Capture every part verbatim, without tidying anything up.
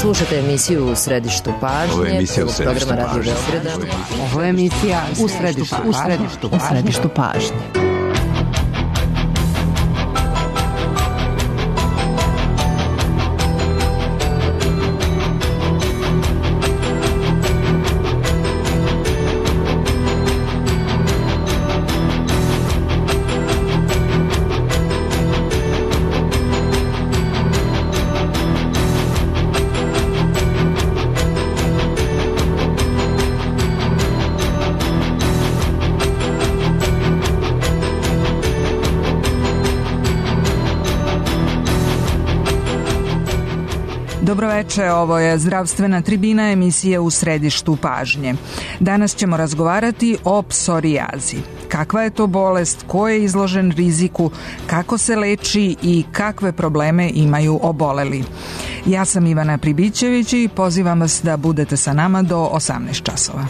Slušate emisiju U središtu pažnje. Ovo je emisija U središtu pažnje. Ovo je emisija U središtu pažnje. U središtu pažnje. Dobroveče, ovo je Zdravstvena tribina, emisija U središtu pažnje. Danas ćemo razgovarati o psorijazi. Kakva je to bolest, ko je izložen riziku, kako se leči i kakve probleme imaju oboleli. Ja sam Ivana Pribićević i pozivam vas da budete sa nama do osamnaest časova.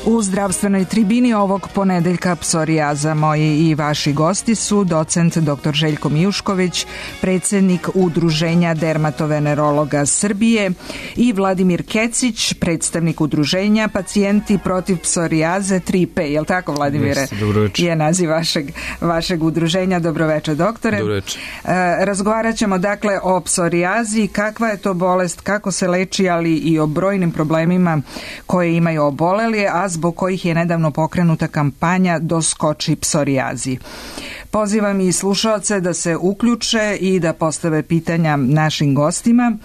U zdravstvenoj tribini ovog ponedeljka psorijaza moji i vaši gosti su docent doktor Željko Mijušković, predsjednik Udruženja dermatovenerologa Srbije, i Vladimir Kecić, predstavnik Udruženja Pacijenti protiv psorijaze tri P. Je li tako, Vladimire? Dobroveče. Je naziv vašeg, vašeg udruženja. Dobroveče, doktore. Dobroveče. E, razgovarat ćemo dakle o psorijazi, kakva je to bolest, kako se leči, ali i o brojnim problemima koje imaju oboleli, a zbog kojih je nedavno pokrenuta kampanja Doskoči psorijazi. Pozivam i slušaoce da se uključe i da postave pitanja našim gostima.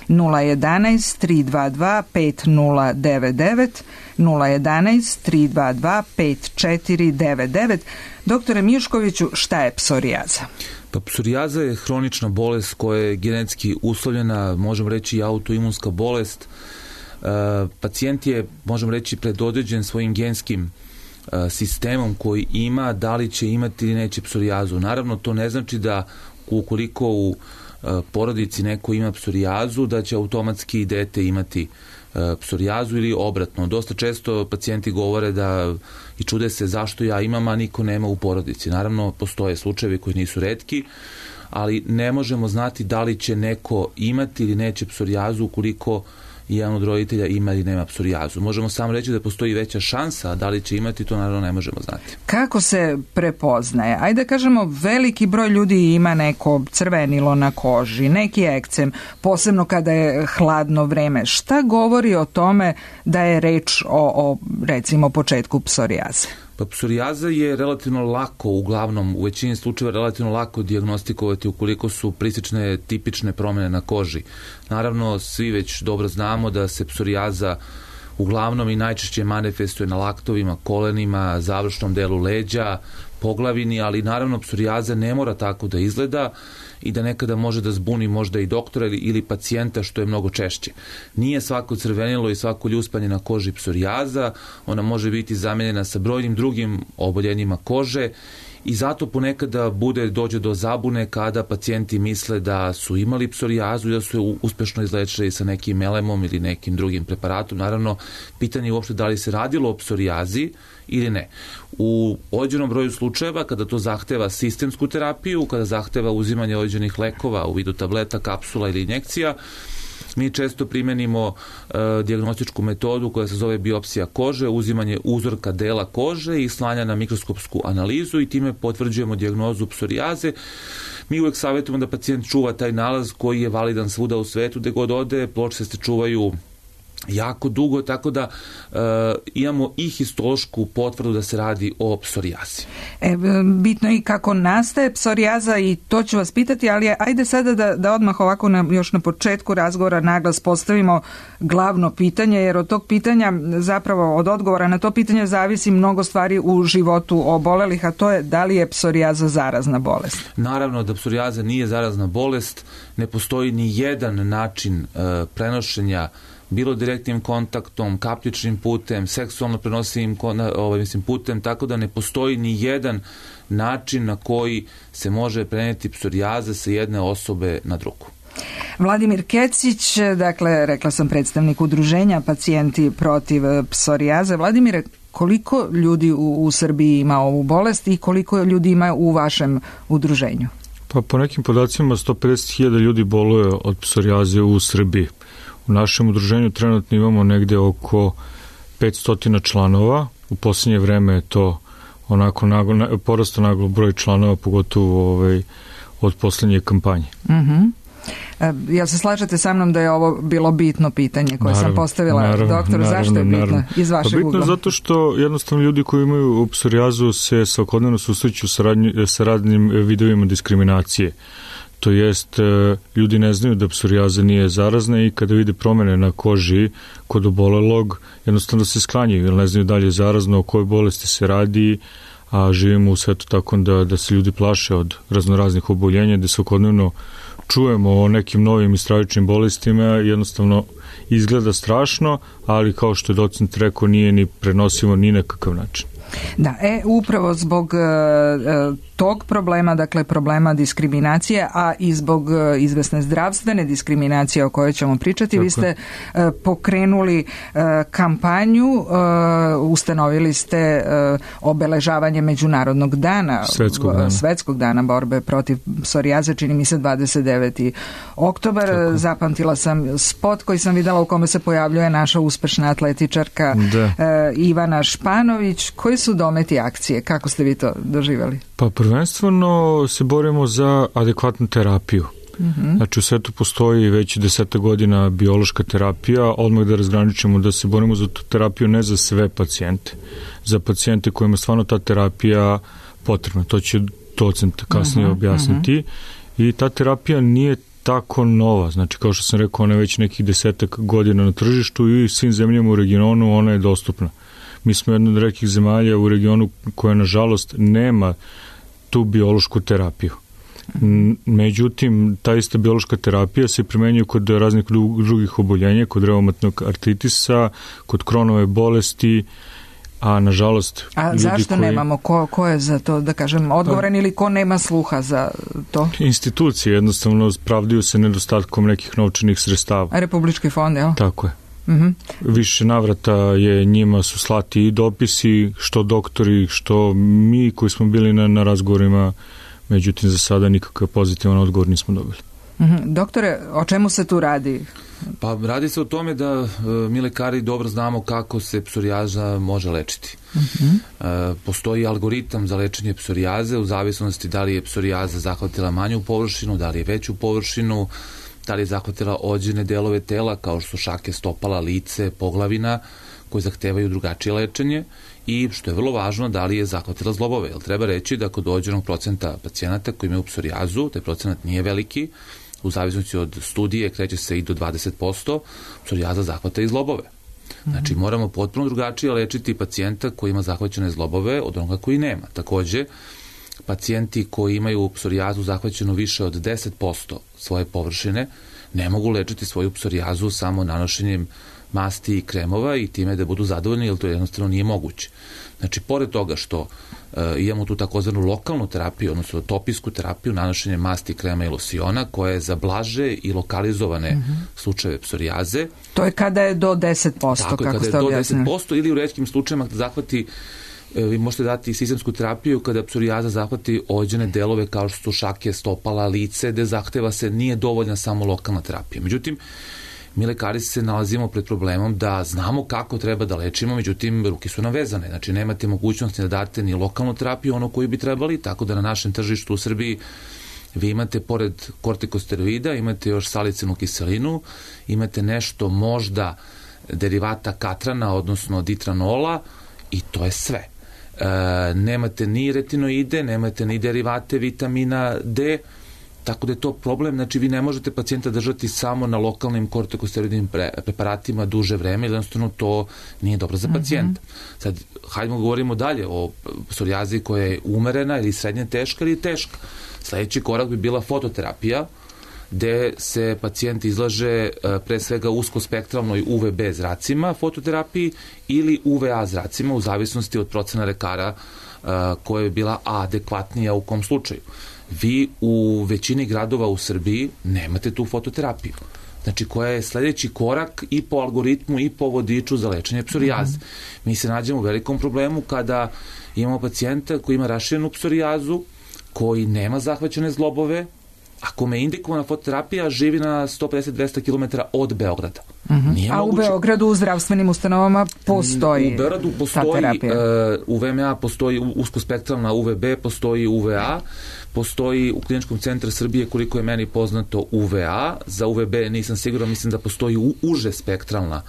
nula jedanaest tri dva dva pet nula devet devet, nula jedanaest tri dva dva pet četiri devet devet. Doktore Mijuškoviću, šta je psorijaza? Pa psorijaza je hronična bolest koja je genetski uslovljena, možemo reći i autoimunska bolest. Uh, pacijent je, možemo reći, predodređen svojim genskim uh, sistemom koji ima, da li će imati ili neće psorijazu. Naravno, to ne znači da ukoliko u uh, porodici neko ima psorijazu, da će automatski dete imati uh, psorijazu ili obratno. Dosta često pacijenti govore da i čude se zašto ja imam, a niko nema u porodici. Naravno, postoje slučajevi koji nisu retki, ali ne možemo znati da li će neko imati ili neće psorijazu ukoliko jedan od roditelja ima ili nema psorijazu. Možemo samo reći da postoji veća šansa, a da li će imati, to naravno ne možemo znati. Kako se prepoznaje? Ajde da kažemo, veliki broj ljudi ima neko crvenilo na koži, neki ekcem, posebno kada je hladno vreme. Šta govori o tome da je reč o, o recimo, početku psorijaze? Pa psorijaza je relativno lako, uglavnom, u većini slučajeva relativno lako dijagnostikovati ukoliko su prisečne tipične promjene na koži. Naravno, svi već dobro znamo da se psorijaza uglavnom i najčešće manifestuje na laktovima, kolenima, završnom delu leđa, poglavini, ali naravno psorijaza ne mora tako da izgleda i da nekada može da zbuni možda i doktora ili, ili pacijenta, što je mnogo češće. Nije svako crvenilo i svako ljuspanje na koži psorijaza, ona može biti zamenjena sa brojnim drugim oboljenjima kože i zato ponekada bude dođe do zabune kada pacijenti misle da su imali psorijazu i da su je uspešno izlečili sa nekim melemom ili nekim drugim preparatom. Naravno, pitanje je uopšte da li se radilo o psorijazi ili ne. U određenom broju slučajeva, kada to zahteva sistemsku terapiju, kada zahteva uzimanje određenih lekova u vidu tableta, kapsula ili injekcija, Mi često primenimo uh, dijagnostičku metodu koja se zove biopsija kože, uzimanje uzorka dela kože i slanja na mikroskopsku analizu i time potvrđujemo dijagnozu psorijaze. Mi uvek savjetujemo da pacijent čuva taj nalaz koji je validan svuda u svetu, gde god ode, pločice se čuvaju jako dugo, tako da e, imamo i histološku potvrdu da se radi o psorijazi. E, bitno je i kako nastaje psorijaza i to ću vas pitati, ali ajde sada da, da odmah ovako na, još na početku razgovora naglas postavimo glavno pitanje, jer od tog pitanja, zapravo od odgovora na to pitanje zavisi mnogo stvari u životu obolelih, a to je da li je psorijaza zarazna bolest. Naravno da psorijaza nije zarazna bolest, ne postoji ni jedan način e, prenošenja bilo direktnim kontaktom, kapljičnim putem, seksualno prenosivim ovaj, mislim, putem, tako da ne postoji ni jedan način na koji se može prenijeti psorijaza sa jedne osobe na drugu. Vladimir Kecić, dakle, rekla sam predstavnik udruženja Pacijenti protiv psorijaze. Vladimire, koliko ljudi u, u Srbiji ima ovu bolest i koliko ljudi ima u vašem udruženju? Pa po nekim podacima sto pedeset hiljada ljudi boluje od psorijaze u Srbiji. U našem udruženju trenutno imamo negde oko petsto članova. U posljednje vreme je to onako naglo, porastao naglo broj članova, pogotovo ovaj, od posljednje kampanje. Mhm. Jel se slažete sa mnom da je ovo bilo bitno pitanje koje naravno, sam postavila naravno, doktoru? Naravno, zašto je bitno naravno. iz vašeg bitno ugla? Bitno zato što jednostavno ljudi koji imaju psorijazu se svakodnevno susreću sa, radnji, sa radnim vidovima diskriminacije. To jest, ljudi ne znaju da psorijaza nije zarazna i kada vide promene na koži kod obolelog, jednostavno se sklanjaju, jer ne znaju da li je zarazno, o kojoj bolesti se radi, a živimo u svetu tako da, da se ljudi plaše od raznoraznih oboljenja, da svakodnevno čujemo o nekim novim i stravičnim bolestima, jednostavno izgleda strašno, ali kao što je docent rekao, nije ni prenosivo ni na kakav način. Da, e, upravo zbog e, tog problema, dakle problema diskriminacije, a i zbog e, izvesne zdravstvene diskriminacije o kojoj ćemo pričati, tako. Vi ste e, pokrenuli e, kampanju, e, ustanovili ste e, obeležavanje Međunarodnog dana, Svetskog dana, Svetskog dana borbe protiv psorijaze, čini mi se dvadeset deveti oktobar. Tako. Zapamtila sam spot koji sam videla u kome se pojavljuje naša uspešna atletičarka e, Ivana Španović. Koji su dometi akcije? Kako ste vi to doživjeli? Pa prvenstveno se borimo za adekvatnu terapiju. Mm-hmm. Znači u svetu postoji već deseta godina biološka terapija, odmah da razgraničimo da se borimo za tu terapiju ne za sve pacijente, za pacijente kojima stvarno ta terapija potrebna. To će docent kasnije mm-hmm. objasniti. Mm-hmm. I ta terapija nije tako nova, znači kao što sam rekao, ona je već nekih desetak godina na tržištu i svim zemljama u regionu ona je dostupna. Mi smo jedna od rekih zemalja u regionu koja nažalost nema tu biološku terapiju. Međutim, ta ista biološka terapija se primenjuje kod raznih drugih oboljenja, kod reumatnog artritisa, kod Kronove bolesti, a nažalost... A zašto koji... nemamo? Ko, ko je za to, da kažem, odgovoran ili ko nema sluha za to? Institucije jednostavno pravdaju se nedostatkom nekih novčanih sredstava. A Republički fond, jel? Tako je. Mm-hmm. Više navrata je njima su slati i dopisi, što doktori, što mi koji smo bili na, na razgovorima, međutim za sada nikakav pozitivan odgovor nismo dobili. Mm-hmm. Doktore, o čemu se tu radi? Pa radi se o tome da e, mi lekari dobro znamo kako se psorijaza može lečiti. Mm-hmm. E, postoji algoritam za lečenje psorijaze u zavisnosti da li je psorijaza zahvatila manju površinu, da li je veću površinu, da li je zahvatila određene delove tela kao što su šake stopala, lice, poglavina koji zahtevaju drugačije lečenje i što je vrlo važno da li je zahvatila zlobove. Jer treba reći da kod određenog procenta pacijenata koji imaju psorijazu, taj procenat nije veliki, u zavisnosti od studije kreće se i do dvadeset posto, psorijaza zahvata i zlobove. Znači moramo potpuno drugačije lečiti pacijenta koji ima zahvaćene zlobove od onoga koji nema. Takođe, pacijenti koji imaju psorijazu zahvaćenu više od deset posto svoje površine ne mogu lečiti svoju psorijazu samo nanošenjem masti i kremova i time da budu zadovoljni, jer to jednostavno nije moguće. Znači, pored toga što e, imamo tu takozvanu lokalnu terapiju, odnosno topijsku terapiju, nanošenje masti, krema i losiona, koja je za blaže i lokalizovane mm-hmm. slučajeve psorijaze. To je kada je do deset posto, tako kako je, ste kada je do objasnili. deset posto ili u retkim slučajima da zahvati, e, vi možete dati sistemsku terapiju kada psorijaza zahvati određene delove kao što su šake, stopala, lice, gde zahteva se nije dovoljna samo lokalna terapija. Međutim, mi lekari se nalazimo pred problemom da znamo kako treba da lečimo, međutim ruke su navezane, znači nemate mogućnosti da date ni lokalnu terapiju, ono koju bi trebali, tako da na našem tržištu u Srbiji vi imate pored kortikosteroida, imate još salicilnu kiselinu, imate nešto možda derivata katrana, odnosno ditranola, i to je sve. E, nemate ni retinoide, nemate ni derivate vitamina D, tako da je to problem, znači vi ne možete pacijenta držati samo na lokalnim kortikosteroidnim pre, preparatima duže vreme, jednostavno to nije dobro za pacijenta. Mm-hmm. Sad, hajdemo govorimo dalje o psorijazi koja je umerena ili srednje teška ili teška. Sledeći korak bi bila fototerapija, gde se pacijent izlaže pre svega uskospektralnoj U V B zracima fototerapiji ili U V A zracima, u zavisnosti od procena lekara koja je bila adekvatnija u kom slučaju. Vi u većini gradova u Srbiji nemate tu fototerapiju. Znači, koja je sledeći korak i po algoritmu i po vodiču za lečenje psorijaze. Mm-hmm. Mi se nađemo u velikom problemu kada imamo pacijenta koji ima raširenu psorijazu, koji nema zahvaćene zglobove, a kome je indikovana fototerapija, živi na sto pedeset do dvesta kilometara od Beograda. Uh-huh. A moguće... u Beogradu u zdravstvenim ustanovama postoji u Beogradu postoji, uh, u V M A postoji uskospektralna U V B, postoji U V A, postoji u Kliničkom centru Srbije, koliko je meni poznato, U V A, za U V B nisam siguran, mislim da postoji u, uže spektralna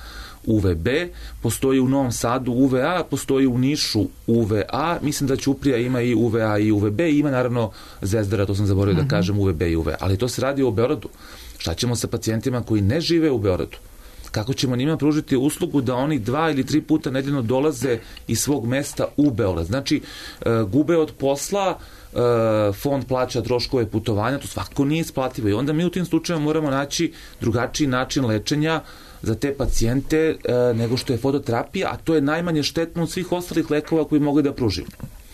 U V B, postoji u Novom Sadu U V A, postoji u Nišu U V A, mislim da Ćuprija ima i U V A i U V B, ima naravno Zvezdara, to sam zaboravio uh-huh. da kažem, U V B i U V A, ali to se radi o Beogradu. Šta ćemo sa pacijentima koji ne žive u Beogradu? Kako ćemo njima pružiti uslugu da oni dva ili tri puta nedeljno dolaze iz svog mesta u Beograd? Znači, uh, gube od posla, uh, fond plaća troškove putovanja, to svakako nije isplativo i onda mi u tim slučajima moramo naći drugačiji način lečenja za te pacijente e, nego što je fototerapija, a to je najmanje štetno od svih ostalih lekova koji mogu da pružimo.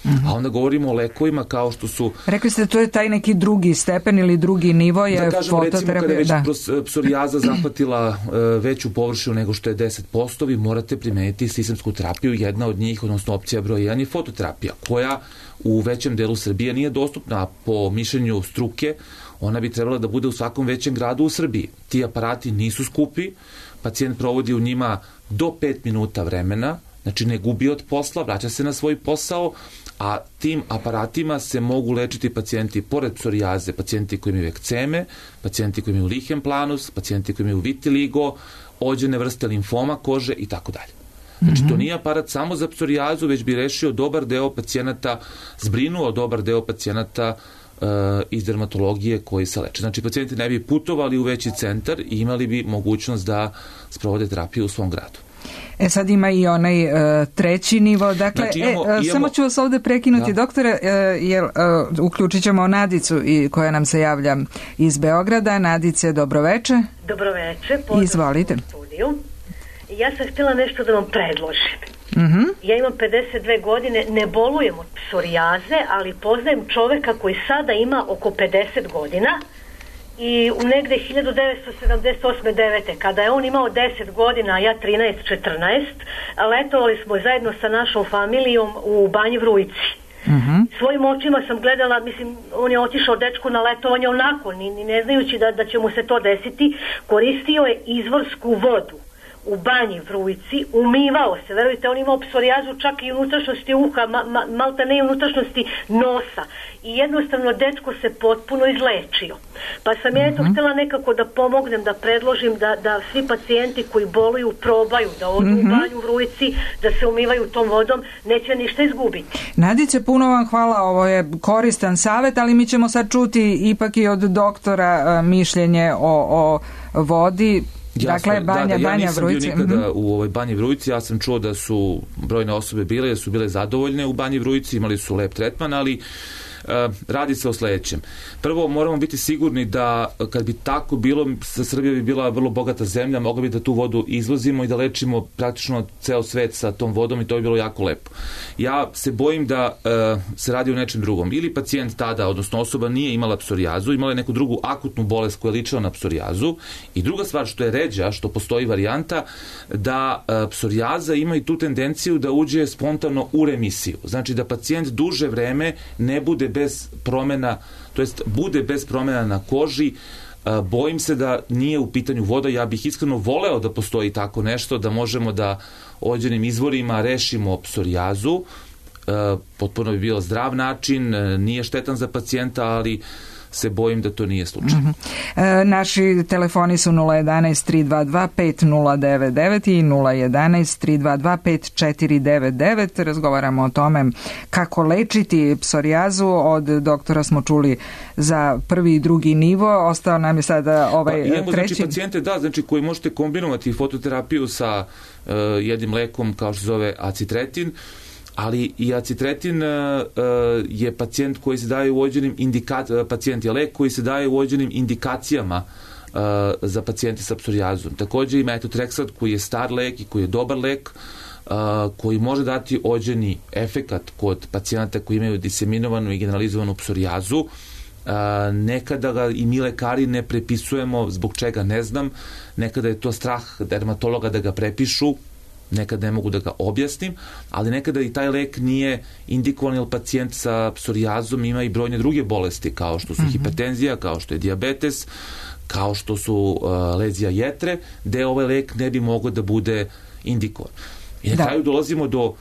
Mm-hmm. A onda govorimo o lekovima kao što su... Rekli ste, to je taj neki drugi stepen ili drugi nivo je da kažem, fototerapija. Recimo, kada je već da. psorijaza zahvatila e, veću površinu nego što je deset posto, vi morate primeniti sistemsku terapiju. Jedna od njih, odnosno opcija broj jedan je fototerapija, koja u većem delu Srbije nije dostupna. Po mišljenju struke, ona bi trebala da bude u svakom većem gradu u Srbiji. Ti aparati nisu skupi, pacijent provodi u njima do pet minuta vremena, znači ne gubi od posla, vraća se na svoj posao, a tim aparatima se mogu lečiti pacijenti pored psorijaze, pacijenti koji imaju ekceme, pacijenti koji imaju lichen planus, pacijenti koji imaju vitiligo, ođene vrste limfoma kože i tako dalje. Znači, to nije aparat samo za psorijazu, već bi rešio dobar deo pacijenata, zbrinuo dobar deo pacijenata iz dermatologije koji se leče. Znači, pacijenti ne bi putovali u veći centar i imali bi mogućnost da sprovode terapiju u svom gradu. E sad ima i onaj uh, treći nivo, dakle, znači, imamo, e, imamo... samo ću vas ovde prekinuti, da. Doktore, uh, jer uh, uključit ćemo Nadicu i, koja nam se javlja iz Beograda. Nadice, dobroveče. Dobroveče. Izvolite. Ja sam htjela nešto da vam predložim. Mm-hmm. Ja imam pedeset dve godine, ne bolujem od psorijaze, ali poznajem čoveka koji sada ima oko pedeset godina i u negde hiljadu devetsto sedamdeset osme devete kada je on imao deset godina, a ja trinaest četrnaest, letovali smo zajedno sa našom familijom u Banji Vrujci. Mm-hmm. Svojim očima sam gledala, mislim, on je otišao dečku na letovanje onako, ni, ni ne znajući da, da će mu se to desiti, koristio je izvorsku vodu u Banji Vrujci, umivao se, verujte, on imao psorijazu čak i unutrašnjosti uha, ma, ma, malta ne i unutrašnjosti nosa i jednostavno dečko se potpuno izlečio. Pa sam ja eto htjela nekako da pomognem, da predložim da, da svi pacijenti koji boluju probaju da odu mm-hmm. u Banju Vrujci, da se umivaju tom vodom, neće ništa izgubiti. Nadice, puno vam hvala, ovo je koristan savjet, ali mi ćemo sad čuti ipak i od doktora mišljenje o, o vodi. Jasno, dakle, Banja, da, da, ja Banja nisam Vrujci. bio nikada mm-hmm. u ovoj Banji Vrujci, ja sam čuo da su brojne osobe bile, da su bile zadovoljne u Banji Vrujci, imali su lep tretman, ali uh, radi se o sledećem. Prvo, moramo biti sigurni da kad bi tako bilo, Srbija bi bila vrlo bogata zemlja, mogli bi da tu vodu izvozimo i da lečimo praktično ceo svet sa tom vodom i to bi bilo jako lepo. Ja se bojim da uh, se radi o nečem drugom. Ili pacijent tada, odnosno osoba nije imala psorijazu, imala je neku drugu akutnu bolest koja je ličila na psorijazu i druga stvar što je ređa, što postoji varijanta, da uh, psorijaza ima i tu tendenciju da uđe spontano u remisiju. Znači da pacijent duže vreme ne bude bez promena, to jest bude bez promjena na koži Bojim se da nije u pitanju voda, ja bih iskreno voleo da postoji tako nešto, da možemo da određenim izvorima rešimo psorijazu, potpuno bi bio zdrav način, nije štetan za pacijenta, ali se bojim da to nije slučaj. Mm-hmm. E, naši telefoni su nula jedanaest tri dva dva pet nula devet devet i nula jedanaest tri dva dva pet četiri devet devet. Razgovaramo o tome kako lečiti psorijazu. Od doktora smo čuli za prvi i drugi nivo. Ostao nam je sada ovaj pa, imamo, treći. Znači, pacijente, da, znači, koji možete kombinovati fototerapiju sa uh, jednim lekom kao što se zove acitretin, ali i acitretin uh, je pacijent koji se daje u određenim indikacijama, pacijent je lek koji se daje u određenim indikacijama uh, za pacijente sa psorijazom. Također i metotreksat koji je star lek i koji je dobar lek, uh, koji može dati određeni efekat kod pacijenata koji imaju diseminovanu i generalizovanu psorijazu. Uh, nekada ga i mi lekari ne prepisujemo, zbog čega ne znam, nekada je to strah dermatologa da ga prepišu, nekada ne mogu da ga objasnim, ali nekada i taj lek nije indikovan, jer pacijent sa psorijazom ima i brojne druge bolesti, kao što su mm-hmm. hipertenzija, kao što je dijabetes, kao što su uh, lezija jetre, gde ovaj lek ne bi mogao da bude indikovan. I na da. kraju dolazimo do uh,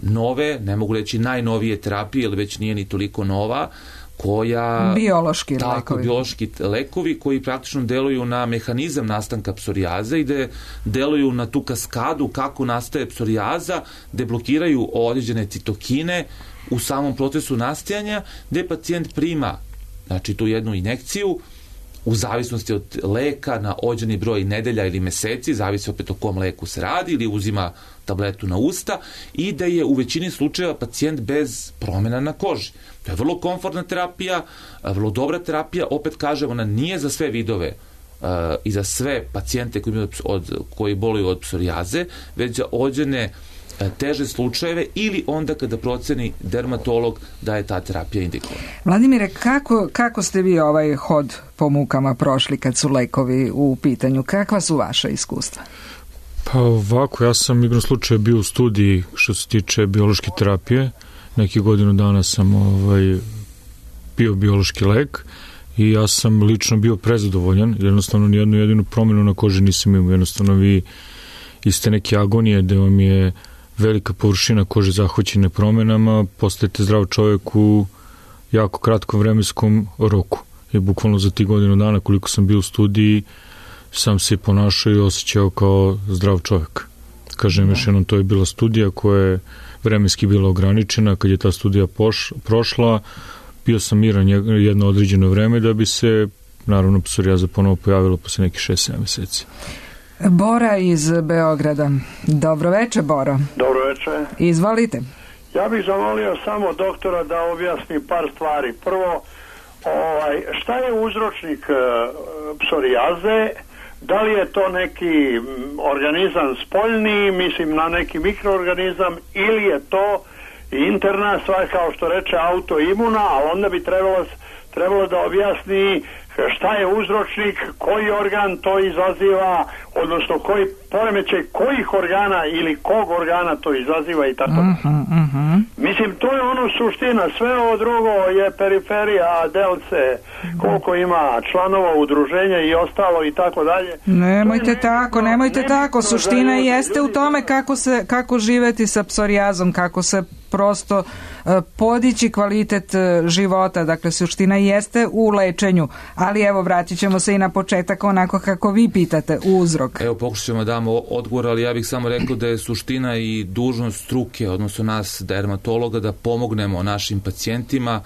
nove, ne mogu reći najnovije terapije, jer već nije ni toliko nova, koja... Biološki tako, lekovi. Biološki lekovi koji praktično deluju na mehanizam nastanka psorijaze i gde deluju na tu kaskadu kako nastaje psorijaza, gde blokiraju određene citokine u samom procesu nastajanja, gde pacijent prima, znači, tu jednu injekciju u zavisnosti od leka na određeni broj nedelja ili meseci, zavisi opet o kom leku se radi, ili uzima tabletu na usta, i da je u većini slučajeva pacijent bez promjena na koži. To je vrlo komfortna terapija, vrlo dobra terapija, opet kažem, ona nije za sve vidove uh, i za sve pacijente koji, imaju od, koji boluju od psorijaze, već za određene uh, teže slučajeve ili onda kada proceni dermatolog da je ta terapija indikovana. Vladimire, kako, kako ste vi ovaj hod po mukama prošli kad su lekovi u pitanju? Kakva su vaša iskustva? Pa ovako, ja sam igrom slučaja bio u studiji što se tiče biološke terapije. Neki godinu dana sam ovaj, bio biološki lek i ja sam lično bio prezadovoljan. Jednostavno nijednu jedinu promjenu na koži nisam imao. Jednostavno vi iz te neke agonije gde vam je velika površina kože zahvaćene promjenama, postajete zdrav čovjek u jako kratkom vremenskom roku. I bukvalno za ti godinu dana koliko sam bio u studiji sam se ponašao i osjećao kao zdrav čovjek. Kažem još jednom, to je bila studija koja je vremenski bila ograničena. Kad je ta studija poš, prošla, bio sam miran jedno određeno vreme da bi se, naravno, psorijaza ponovo pojavila posle nekih šest sedam meseci. Bora iz Beograda. Dobro večer, Boro. Dobro večer. Izvolite. Ja bih zamolio samo doktora da objasni par stvari. Prvo, ovaj, šta je uzročnik uh, psorijaze? Da li je to neki organizam spoljni, mislim na neki mikroorganizam, ili je to interna stvar, kao što reče, autoimuna, ali onda bi trebalo, trebalo da objasni šta je uzročnik, koji organ to izaziva, odnosno koji poremećaj kojih organa ili kog organa to izaziva i tako. Uh-huh, uh-huh. Mislim, to je ono suština, sve ovo drugo je periferija, delce, koliko ima članova udruženja i ostalo i tako dalje. Nemojte je tako, nemojte ne tako, suština jeste u tome kako se, kako živeti sa psorijazom, kako se prosto uh, podići kvalitet uh, života, dakle suština jeste u lečenju, ali evo vratit ćemo se i na početak onako kako vi pitate, uzrok. Evo pokušat ćemo da damo odgovor, ali ja bih samo rekao da je suština i dužnost struke, odnosno nas dermatologa, da pomognemo našim pacijentima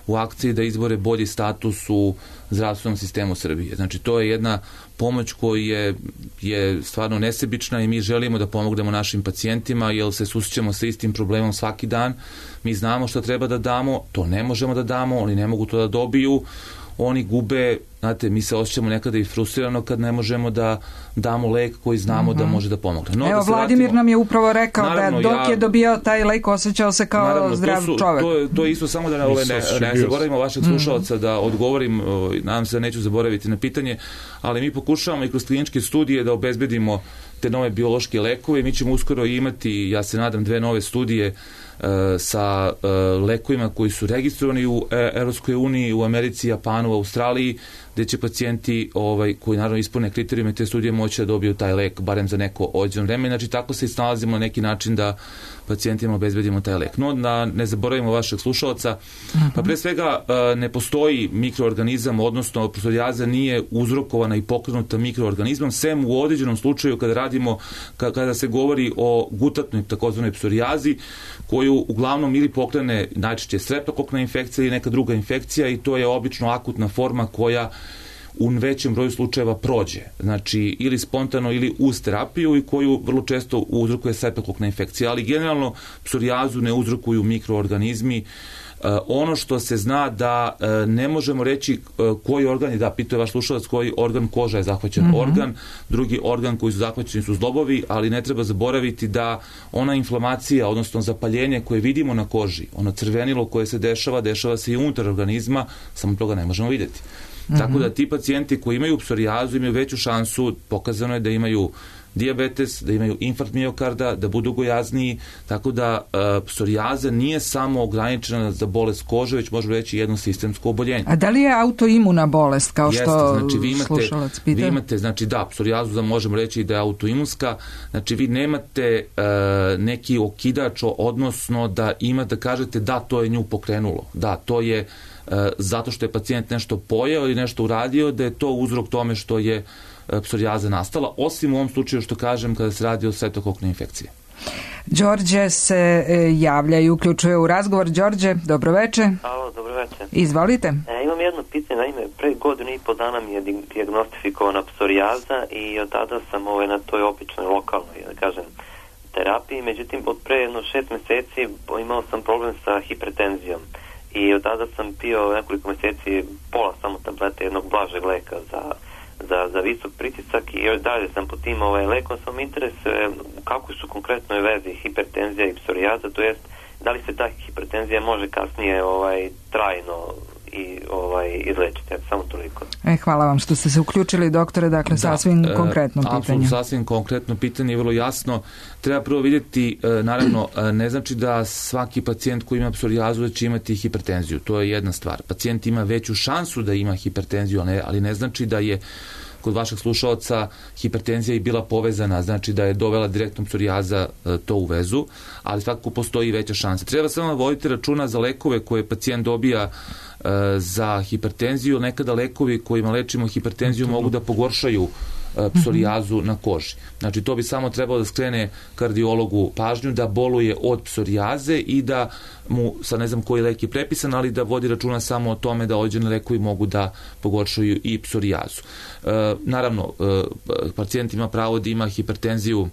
u akciji da izbore bolji status u zdravstvenom sistemu Srbije. Znači, to je jedna pomoć koja je, je stvarno nesebična i mi želimo da pomognemo našim pacijentima, jer se susrećemo sa istim problemom svaki dan. Mi znamo šta treba da damo, to ne možemo da damo, oni ne mogu to da dobiju, oni gube, znate, mi se osjećamo nekada i frustrirano kad ne možemo da damo lek koji znamo mm-hmm. da može da pomogne. No, Evo, da Vladimir vratimo, nam je upravo rekao naravno, da dok ja, je dobio taj lek osjećao se kao naravno, zdrav to su, čovjek. To je, to je isto samo da ove, ne, ne zaboravimo vašeg slušalca mm-hmm. da odgovorim, nadam se da neću zaboraviti na pitanje, ali mi pokušavamo i kroz kliničke studije da obezbedimo te nove biološke lekove. Mi ćemo uskoro imati, ja se nadam, dve nove studije sa lekovima koji su registrovani u Evropskoj uniji, u Americi, Japanu, u Australiji, gde će pacijenti ovaj, koji naravno ispune kriterijume te studije moći da dobiju taj lek barem za neko određeno vreme. Znači tako se i snalazimo na neki način da pacijentima obezbedimo taj lek. No, da ne zaboravimo vašeg slušalca, uh-huh. pa pre svega ne postoji mikroorganizam, odnosno psorijaza nije uzrokovana i pokrenuta mikroorganizmom, sem u određenom slučaju kada radimo, kada se govori o gutatnoj takozvanoj psorijazi, koju uglavnom ili pokrene najčešće streptokokna infekcija ili neka druga infekcija i to je obično akutna forma koja u većem broju slučajeva prođe, znači ili spontano ili uz terapiju i koju vrlo često uzrokuje streptokokna infekcija, ali generalno psorijazu ne uzrokuju mikroorganizmi. Ono što se zna da ne možemo reći koji organ je, da, pitao je vaš slušalac koji organ koža je zahvaćen mm-hmm. organ, drugi organ koji su zahvaćeni su zglobovi, ali ne treba zaboraviti da ona inflamacija, odnosno zapaljenje koje vidimo na koži, ono crvenilo koje se dešava, dešava se i unutar organizma, samo toga ne možemo vidjeti. Mm-hmm. Tako da ti pacijenti koji imaju psorijazu imaju veću šansu, pokazano je da imaju dijabetes, da imaju infarkt miokarda, da budu gojazniji, tako da uh, psorijaza nije samo ograničena za bolest kože, već možemo reći jedno sistemsko oboljenje. A da li je autoimuna bolest, kao Jeste, što znači, vi imate, slušalac pita? Vi imate, znači da, psorijazu da možemo reći da je autoimunska, znači vi nemate uh, neki okidač, odnosno da ima da kažete da, to je nju pokrenulo, da, to je uh, zato što je pacijent nešto pojeo ili nešto uradio, da je to uzrok tome što je psorijaza nastala, osim u ovom slučaju što kažem kada se radi o streptokoknoj infekciji. Đorđe se javlja i uključuje u razgovor. Đorđe, dobroveče. Alo, dobroveče. Izvolite. E, imam jedno pitanje, naime, pre godinu i po dana mi je dijagnostifikovana psorijaza i od tada sam ovaj, na toj običnoj lokalnoj, da kažem, terapiji, međutim, od pre jedno šest meseci imao sam problem sa hipertenzijom i od tada sam pio nekoliko meseci pola samo tablete jednog blažeg leka za Za, za visok pritisak i još dalje sam po tim ovaj, lekom, sam interesuje kako su konkretno vezi hipertenzija i psorijaza, to jest da li se ta hipertenzija može kasnije ovaj, trajno i ovaj, izlečiti, samo toliko. E, hvala vam što ste se uključili, doktore, dakle da, sasvim e, konkretno pitanje. Apsolutno, sasvim konkretno pitanje je vrlo jasno. Treba prvo vidjeti, e, naravno, e, ne znači da svaki pacijent koji ima psorijazu da će imati hipertenziju, to je jedna stvar. Pacijent ima veću šansu da ima hipertenziju, ali ne, ali ne znači da je kod vašeg slušalca hipertenzija i bila povezana, znači da je dovela direktno psorijaza e, to u vezu, ali svakako postoji veća šansa. Treba samo voditi računa za lekove koje pacijent dobija e, za hipertenziju. Nekada lekovi kojima lečimo hipertenziju mm-hmm. mogu da pogoršaju e, psorijazu mm-hmm. na koži. Znači to bi samo trebalo da skrene kardiologu pažnju da boluje od psorijaze i da mu, sad ne znam koji lek je prepisan, ali da vodi računa samo o tome da određeni lekovi mogu da pogoršaju i psorijazu. E, naravno, e, pacijent ima pravo da ima hipertenziju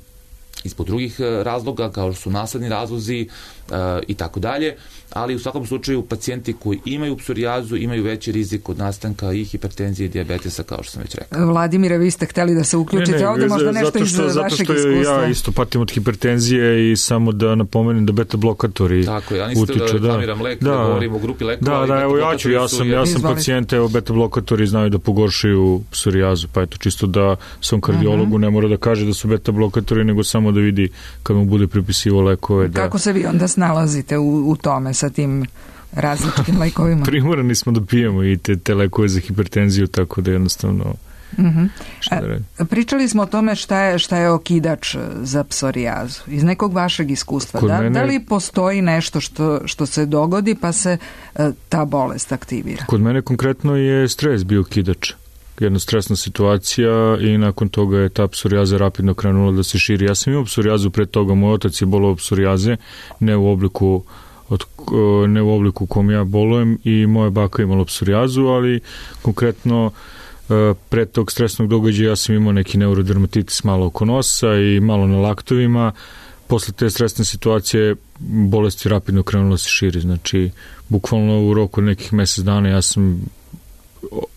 ispod drugih razloga, kao što su nasledni razlozi e, i tako dalje, ali u svakom slučaju pacijenti koji imaju psorijazu imaju veći rizik od nastanka i hipertenzije i dijabetesa, kao što sam već rekao. Vladimire, vi ste hteli da se uključite ne, ne, ovdje, možda nešto iz vašeg iskustva. Zato što ja isto patim od hipertenzije i samo da napomenem da beta blokatori tako, ja nisam da reklamiram lek, da, da govorim o grupi lekova. Da, da, evo ja ću, ja sam, ja sam pacijent, evo beta blokatori znaju da pogoršaju psorijazu, pa eto čisto da svom kardiologu uh-huh. ne mora da kaže da su beta blokatori, nego samo da vidi kad mu bude pripisivo lekove. Da... Kako se vi onda snalazite u, u tome sa tim različitim lekovima? Primorani smo da pijemo i te, te lekove za hipertenziju, tako da jednostavno uh-huh. šta da radim. Pričali smo o tome šta je, šta je okidač za psorijazu. Iz nekog vašeg iskustva. Da, mene, da li postoji nešto što, što se dogodi pa se uh, ta bolest aktivira? Kod mene konkretno je stres bio okidač. Jedna stresna situacija i nakon toga je ta psorijaza rapidno krenula da se širi. Ja sam imao psorijazu pre toga, moj otac je bolao psorijaze, ne u obliku od, ne u obliku u kom ja bolujem i moja baka imala psorijazu, ali konkretno pre tog stresnog događaja ja sam imao neki neurodermatitis malo oko nosa i malo na laktovima. Posle te stresne situacije bolest je rapidno krenula da se širi. Znači, bukvalno u roku nekih mesec dana ja sam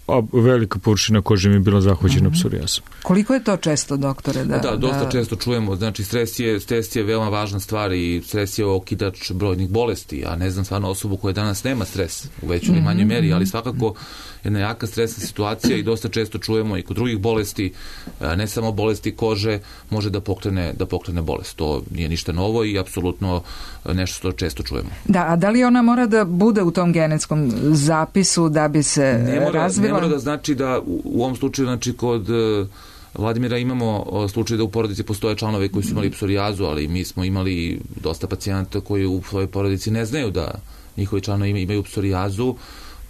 a velika površina kože mi je bila zahvaćena mm-hmm. psorijazom. Koliko je to često, doktore? Da, da, dosta da... često čujemo. Znači, stres je, stres je veoma važna stvar i stres je okidač brojnih bolesti. Ja ne znam stvarno osobu koja danas nema stres u većoj ili manjoj meri, ali svakako jedna jaka stresna situacija i dosta često čujemo i kod drugih bolesti, ne samo bolesti kože, može da pokrene, da pokrene bolest. To nije ništa novo i apsolutno nešto što često čujemo. Da, a da li ona mora da bude u tom genetskom zapisu da bi se ne mora, razvila? Ne mora da znači da u, u ovom slučaju, znači kod Vladimira imamo slučaj da u porodici postoje članovi koji su imali psorijazu, ali mi smo imali dosta pacijenata koji u svojoj porodici ne znaju da njihovi članovi imaju psorijazu,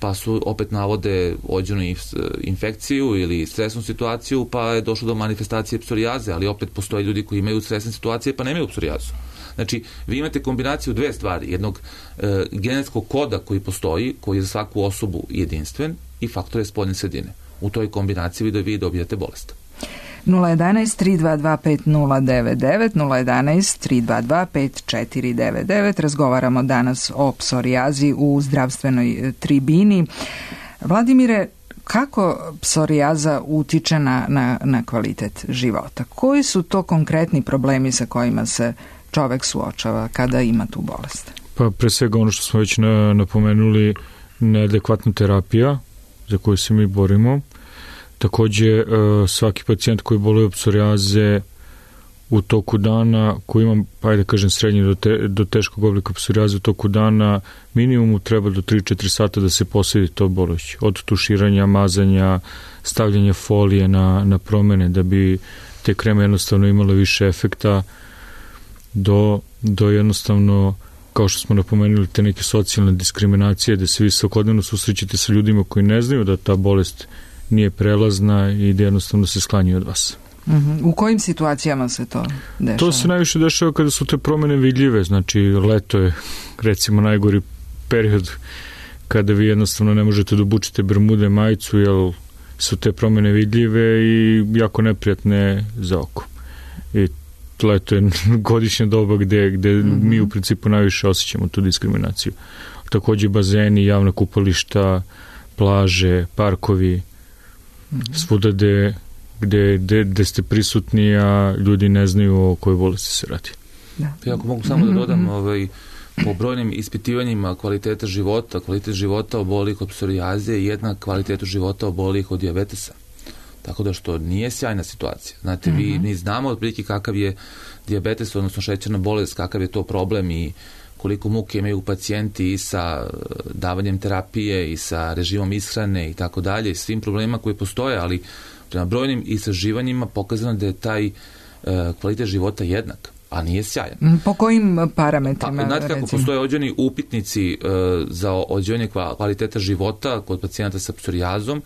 pa su opet navode ođenu infekciju ili stresnu situaciju, pa je došlo do manifestacije psorijaze, ali opet postoje ljudi koji imaju stresne situacije pa nemaju psorijazu. Znači, vi imate kombinaciju dve stvari, jednog e, genetskog koda koji postoji, koji je za svaku osobu jedinstven i faktore spoljne sredine. U toj kombinaciji vi, vi dobijate bolest. nula jedanaest tri dva dva pet nula devet devet, nula jedanaest tri dva dva pet četiri devet devet. Razgovaramo danas o psorijazi u zdravstvenoj tribini. Vladimire, kako psorijaza utiče na, na, na kvalitet života? Koji su to konkretni problemi sa kojima se čovek suočava kada ima tu bolest? Pa pre svega ono što smo već na, napomenuli, neadekvatna terapija za koju se mi borimo. Takođe, svaki pacijent koji boluje od psorijaze u toku dana, koji ima, pa ajde kažem, srednji do, te, do teškog oblika psorijaze u toku dana, minimumu treba do tri do četiri sata da se posveti to bolest. Od tuširanja, mazanja, stavljanja folije na, na promene da bi te kreme jednostavno imale više efekta, do, do jednostavno, kao što smo napomenuli, te neke socijalne diskriminacije, da se vi svakodnevno susrećete sa ljudima koji ne znaju da ta bolest nije prelazna i da jednostavno se sklanjuju od vas. Uh-huh. U kojim situacijama se to dešava? To se najviše dešava kada su te promene vidljive, znači leto je recimo najgori period kada vi jednostavno ne možete da obučite bermude, majicu, jer su te promene vidljive i jako neprijatne za oko. I leto je godišnja doba gde, gde uh-huh. mi u principu najviše osjećamo tu diskriminaciju. Takođe bazeni, javna kupališta, plaže, parkovi, svuda gde, gde, gde, gde ste prisutni, a ljudi ne znaju o kojoj bolesti se radi. Da. Ja ako mogu samo da dodam, ovaj, po brojnim ispitivanjima kvaliteta života, kvalitet života obolih od psorijaze je jednak kvalitetu života obolih od dijabetesa. Tako da što nije sjajna situacija. Znate, mm-hmm. vi, mi znamo otprilike kakav je dijabetes, odnosno šećerna bolest, kakav je to problem i koliko muke imaju pacijenti i sa davanjem terapije i sa režimom ishrane i tako dalje, i svim problemima koji postoje, ali prema brojnim istraživanjima pokazano da je taj e, kvalitet života jednak, a nije sjajan. Po kojim parametrima? Pa, znate kako postoje određeni upitnici e, za određivanje kvaliteta života kod pacijenata sa psorijazom,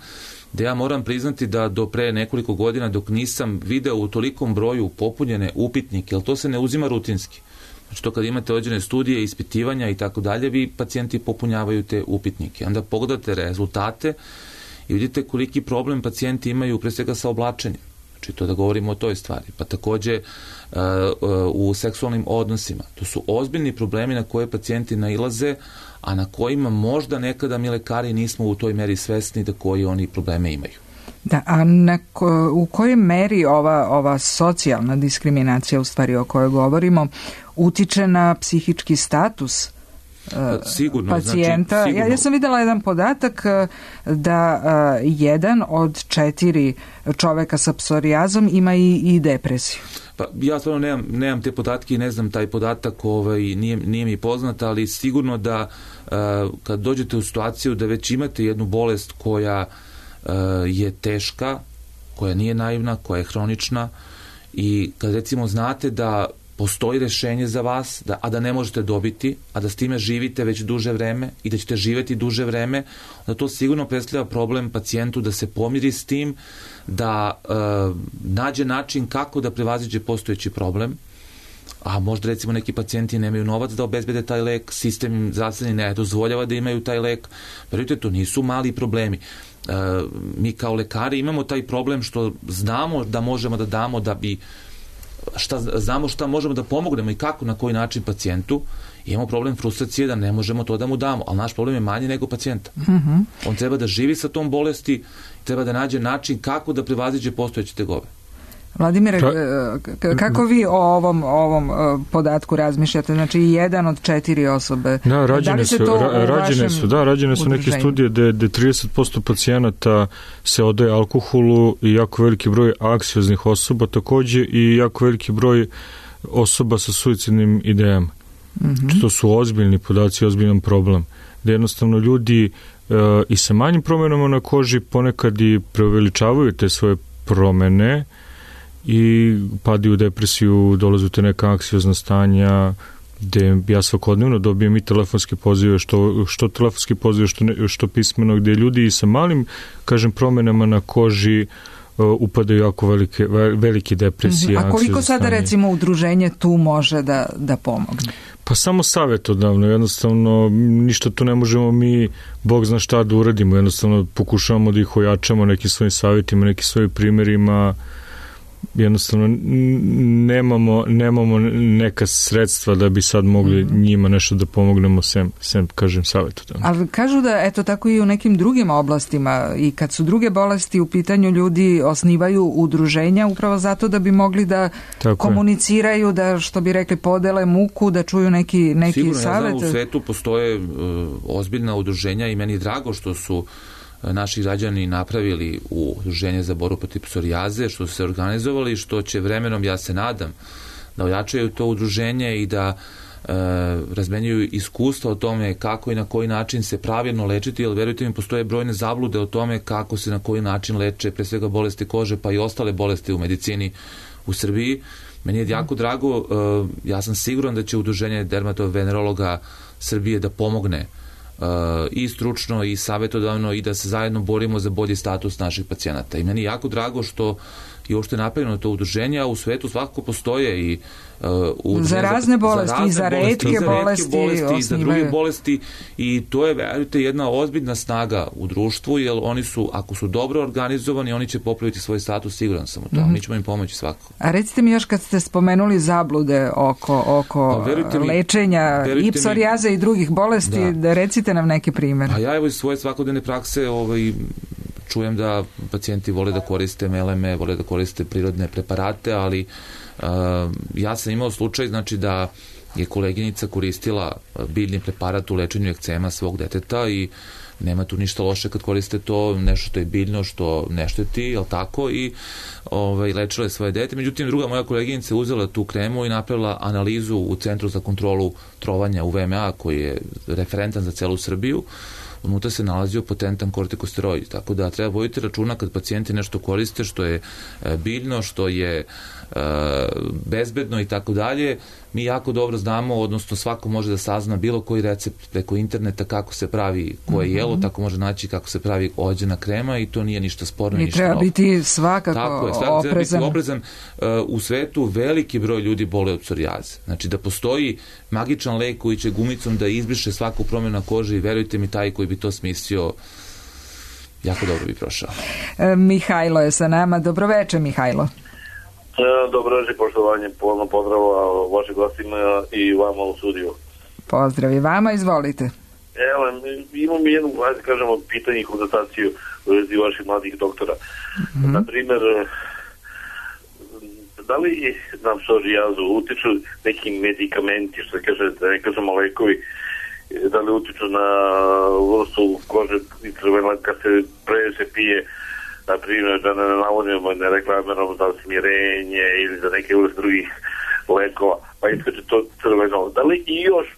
da ja moram priznati da do pre nekoliko godina, dok nisam video u tolikom broju popunjene upitnike, jer to se ne uzima rutinski. Znači to kad imate određene studije, ispitivanja i tako dalje, vi pacijenti popunjavaju te upitnike. Onda pogledate rezultate i vidite koliki problem pacijenti imaju pre svega sa oblačenjem. Znači to da govorimo o toj stvari. Pa takođe uh, uh, u seksualnim odnosima. To su ozbiljni problemi na koje pacijenti nailaze, a na kojima možda nekada mi lekari nismo u toj meri svesni da koji oni probleme imaju. Da, a na ko, u kojoj meri ova, ova socijalna diskriminacija, u stvari o kojoj govorimo, utiče na psihički status pa, sigurno, pacijenta? Znači, sigurno. Ja, ja sam videla jedan podatak da uh, jedan od četiri čoveka sa psorijazom ima i, i depresiju. Pa ja stvarno nemam, nemam te podatke i ne znam taj podatak, ovaj, nije, nije mi poznat, ali sigurno da uh, kad dođete u situaciju da već imate jednu bolest koja uh, je teška, koja nije naivna, koja je hronična, i kad recimo znate da postoji rešenje za vas, da, a da ne možete dobiti, a da s time živite već duže vreme i da ćete živeti duže vreme, onda to sigurno predstavlja problem pacijentu da se pomiri s tim, da e, nađe način kako da prevaziđe postojeći problem, a možda recimo neki pacijenti nemaju novac da obezbede taj lek, sistem im zdravstveni ne dozvoljava da imaju taj lek. Verujte, to nisu mali problemi. E, mi kao lekari imamo taj problem što znamo da možemo da damo da bi šta, znamo šta možemo da pomognemo i kako, na koji način pacijentu, imamo problem frustracije da ne možemo to da mu damo, ali naš problem je manji nego pacijenta. Mm-hmm. On treba da živi sa tom bolesti, treba da nađe način kako da prevaziđe postojeće tegobe. Vladimire, kako vi o ovom, ovom podatku razmišljate? Znači, jedan od četiri osobe. Da, rađene su, ra, rađene su, da, rađene su neke studije gde, gde trideset posto pacijenata se odaje alkoholu i jako veliki broj anksioznih osoba takođe i jako veliki broj osoba sa suicidnim idejama. Mm-hmm. To su ozbiljni podaci, ozbiljan problem. Da jednostavno ljudi e, i sa manjim promenama na koži ponekad i preuveličavaju te svoje promene i padaju u depresiju, dolaze u te neka anksiozna stanja, gde ja svakodnevno dobijem i telefonske pozive, što, što telefonski pozive, što, ne, što pismeno, gde ljudi i sa malim, kažem, promenama na koži uh, upadaju jako velike, velike depresije. Mm-hmm. A koliko sada, recimo, udruženje tu može da, da pomogne? Pa samo savjetodavno, jednostavno ništa tu ne možemo mi, Bog zna šta da uradimo, jednostavno pokušavamo da ih ojačamo nekim svojim savjetima, nekim svojim primjerima, jednostavno nemamo, nemamo neka sredstva da bi sad mogli mm-hmm. njima nešto da pomognemo sem, sem kažem, savjetodavno. Ali kažu da, eto, tako i u nekim drugim oblastima i kad su druge bolesti u pitanju, ljudi osnivaju udruženja upravo zato da bi mogli da tako komuniciraju, je. Da, što bi rekli, podele muku, da čuju neki, neki Sigurno, savjet. Sigurno, ja znam, u svetu postoje uh, ozbiljna udruženja i meni je drago što su naši građani napravili u Udruženje za borbu protiv psorijaze, što su se organizovali, što će vremenom, ja se nadam, da ojačaju to udruženje i da e, razmenjuju iskustva o tome kako i na koji način se pravilno lečiti, jer verujte mi, postoje brojne zablude o tome kako se na koji način leče, pre svega bolesti kože, pa i ostale bolesti u medicini u Srbiji. Meni je jako drago, e, ja sam siguran da će Udruženje dermatovenerologa Srbije da pomogne Uh, i stručno i savjetodavno i da se zajedno borimo za bolji status naših pacijenata. I meni je jako drago što je uopšte napravljeno to udruženje, a u svetu svakako postoje i uh, udruženje za razne bolesti, za, razne i za retke bolesti, bolesti, bolesti i za druge bolesti i to je, verujte, jedna ozbiljna snaga u društvu, jer oni su, ako su dobro organizovani, oni će popraviti svoj status, siguran sam u to. Mm-hmm. Mi ćemo im pomoći svakako. A recite mi još, kad ste spomenuli zablude oko, oko mi, lečenja i psorijaze i drugih bolesti, da. da recite nam neki primjer. A ja evo iz svoje svakodnevne prakse ovaj, čujem da pacijenti vole da koriste meleme, vole da koriste prirodne preparate, ali uh, ja sam imao slučaj, znači da je koleginica koristila biljni preparat u lečenju ekcema svog deteta i nema tu ništa loše kad koriste to, nešto što je biljno, što ne šteti, jel tako, i ovaj, lečila je svoje dete. Međutim, druga moja koleginica uzela tu kremu i napravila analizu u Centru za kontrolu trovanja u V M A, koji je referentan za celu Srbiju. Unutra se nalazio potentan kortikosteroid, tako da treba voditi računa kad pacijenti nešto koriste što je biljno, što je bezbedno i tako dalje. Mi jako dobro znamo, odnosno svako može da sazna bilo koji recept preko interneta kako se pravi koje mm-hmm. jelo, tako može naći kako se pravi ođena krema i to nije ništa sporno. I ništa treba novo. Biti svakako tako je, svakako oprezan. Treba biti oprezan. U svetu veliki broj ljudi bole od psorijaze. Znači da postoji magičan lek koji će gumicom da izbriše svaku promjenu na koži i verujte mi, taj koji bi to smislio jako dobro bi prošao. E, Mihajlo je sa nama. Dobroveče, Mihajlo. Dobro večer, poštovanje, polno pozdrava vaših gostima i vama u studiju. Pozdrav i vama, izvolite. Evo, imam jednu, ajde kažemo, pitanje i konstataciju u vezi vaših mladih doktora. Mm-hmm. Naprimjer, da li na psorijazu utiču neki medikamenti, što se kaže, da ne kažemo lekovi, da li utiču na vrstu kože i crvena kad se previše pije, na primjer, da ne navodimo ne reklamiramo za smirenje ili za neke vrste drugih lekova, pa iskače to crveno. Da li i još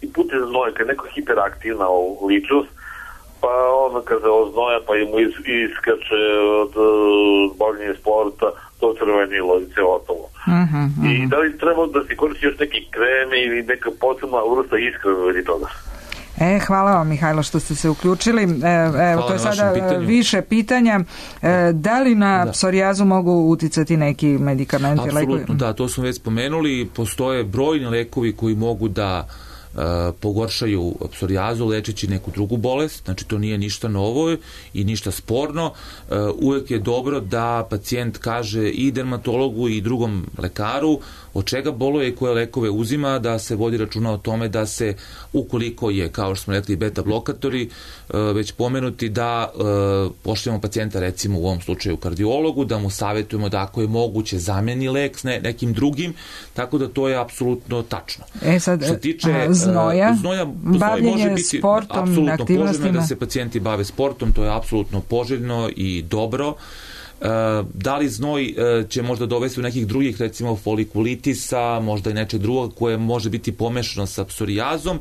i putem znoja, kad je neko hiperaktivna ličnost, pa ono kad se oznoja, pa mu iskače od bavljenja sporta, to crvenilo i sve ostalo. Uh-huh, uh-huh. I da li treba da se koristi još neki kreme ili neka posebna vrsta iskrena ili toga? E, hvala vam, Mihajlo, što ste se uključili. E, evo, to je sada više pitanja. E, da li na da. psorijazu mogu uticati neki medikamenti? Apsolutno, lekovi? Da, to smo već spomenuli. Postoje brojni lekovi koji mogu da pogoršaju psorijazu lečeći neku drugu bolest, znači to nije ništa novo i ništa sporno. Uvek je dobro da pacijent kaže i dermatologu i drugom lekaru od čega boluje i koje lekove uzima, da se vodi računa o tome da se, ukoliko je, kao što smo rekli, beta blokatori, već pomenuti, da pošaljemo pacijenta, recimo u ovom slučaju kardiologu, da mu savjetujemo da ako je moguće zameni lek s ne, nekim drugim, tako da to je apsolutno tačno. E sad, što tiče a, znoja, znoja, bavljenje može biti sportom, aktivnostima. Poželjno je da se pacijenti bave sportom, to je apsolutno poželjno i dobro. Da li znoj će možda dovesti u nekih drugih, recimo folikulitisa, možda i nečeg drugog koje može biti pomešano sa psorijazom,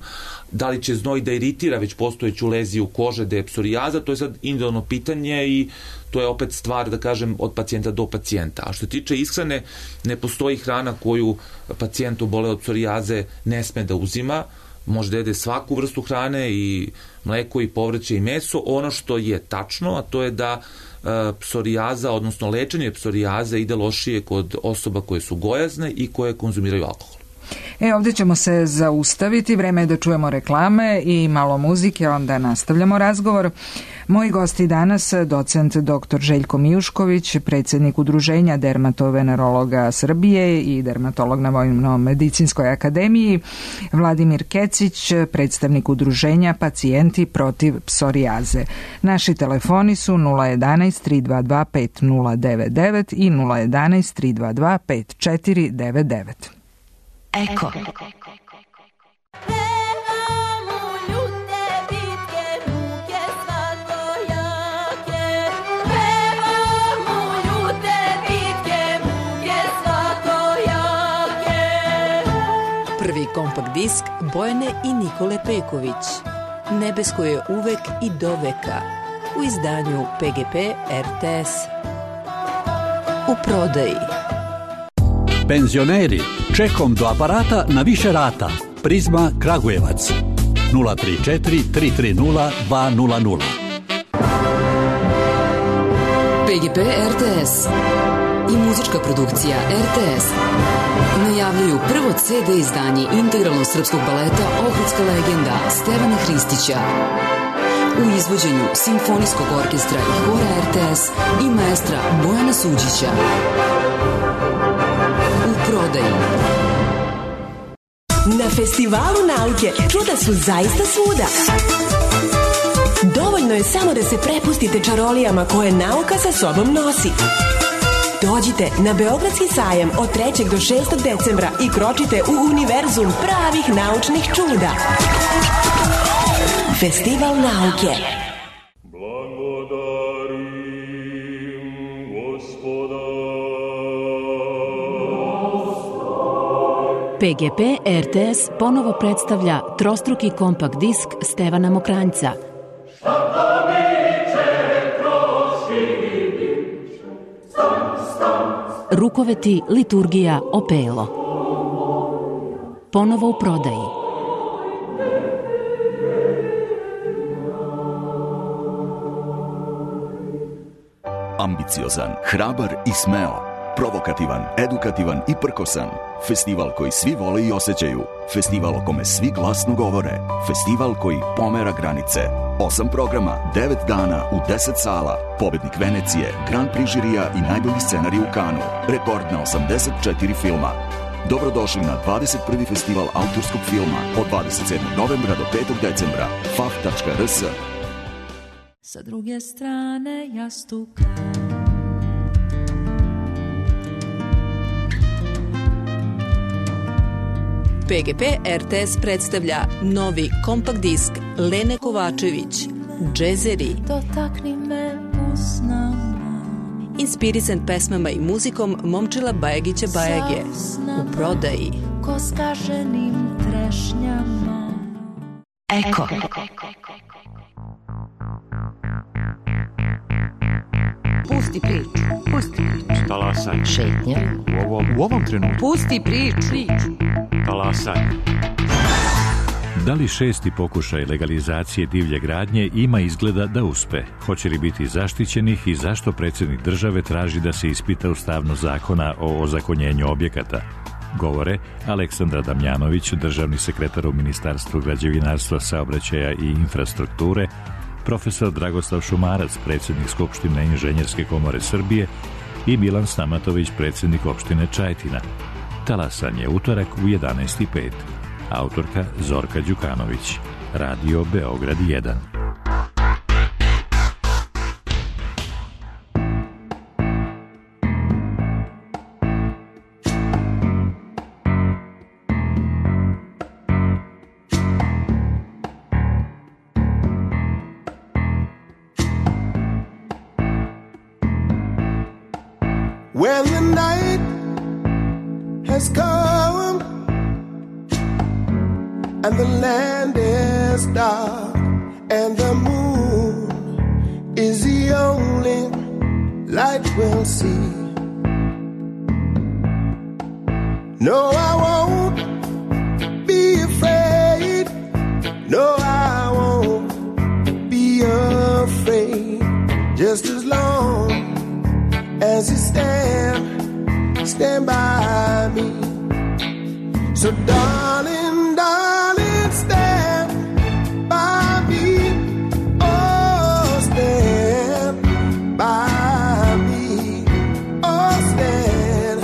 da li će znoj da iritira već postojeću leziju kože da je psorijaza, to je sad individualno pitanje i to je opet stvar, da kažem, od pacijenta do pacijenta. A što tiče ishrane, ne postoji hrana koju pacijent obole od psorijaze ne sme da uzima, može da jede svaku vrstu hrane i mleko i povrće i meso. Ono što je tačno, a to je da psorijaza, odnosno lečenje psorijaze ide lošije kod osoba koje su gojazne i koje konzumiraju alkohol. E, ovdje ćemo se zaustaviti, vreme je da čujemo reklame i malo muzike, onda nastavljamo razgovor. Moji gosti danas, docent doktor Željko Mijušković, predsjednik Udruženja dermatovenerologa Srbije i dermatolog na Vojno-medicinskoj akademiji, Vladimir Kecić, predstavnik Udruženja Pacijenti protiv psorijaze. Naši telefoni su nula jedanaest tri dva dva pet nula devet devet i nula jedanaest tri dva dva pet četiri devet devet. Eko. Prvi kompakt disk Bojane i Nikole Peković. Nebesko je uvek i doveka. U izdanju P G P R T S. U prodaji. Penzioneri, čekom do aparata na više rata. Prizma Kragujevac. nula tri četiri tri tri nula dva nula nula. P G P R T S i muzička produkcija R T S najavljuju prvo C D izdanje integralnog srpskog baleta Ohridska legenda Stevana Hristića u izvođenju Simfonijskog orkestra i hora R T S i maestra Bojana Suđića. U prodaji. Na Festivalu nauke čuda su zaista svuda. Dovoljno je samo da se prepustite čarolijama koje nauka sa sobom nosi. Dođite na Beogradski sajam od trećeg do šestog decembra i kročite u univerzum pravih naučnih čuda. Festival nauke. P G P R T S ponovo predstavlja trostruki kompakt disk Stevana Mokranjca. Rukoveti, liturgija, opelo. Ponovo u prodaji. Ambiciozan, hrabar i smeo. Provokativan, edukativan i prkosan. Festival koji svi vole i osjećaju. Festival o kome svi glasno govore. Festival koji pomera granice. Osam programa, devet dana u deset sala. Pobednik Venecije, Grand Prix žirija i najbolji scenarij u Kanu. Rekord na osamdeset četiri filma. Dobrodošli na dvadeset prvi festival autorskog filma od dvadeset sedmog novembra do petog decembra. f a f tačka r s. Sa druge strane jastuka P G P R T S predstavlja novi kompakt disk Lene Kovačević, Džezeri. Dotakni me usnama. Inspirisan pesmama i muzikom Momčila Bajagića Bajage. U prodaji. Ko skaženim trešnjama. Eko. Pusti priču. Pusti priču. Talasaj. Šetnja. U ovom, u ovom trenutku. Pusti priču. Talasaj. Da li šesti pokušaj legalizacije divlje gradnje ima izgleda da uspe? Hoće li biti zaštićenih i zašto predsjednik države traži da se ispita ustavnost zakona o ozakonjenju objekata? Govore Aleksandra Damjanović, državni sekretar u Ministarstvu građevinarstva, saobraćaja i infrastrukture, profesor Dragoslav Šumarac, predsjednik Skupštine Inženjerske komore Srbije i Milan Stamatović, predsjednik opštine Čajetina. Talasan je utorak u jedanaest i pet. Autorka Zorka Đukanović. Radio Beograd jedan. When the night has come and the land is dark and the moon is the only light we'll see. No, I won't be afraid. No, I won't be afraid. Just as long as you stand, stand by me. So darling, darling, stand by me. Oh, stand by me. Oh, stand.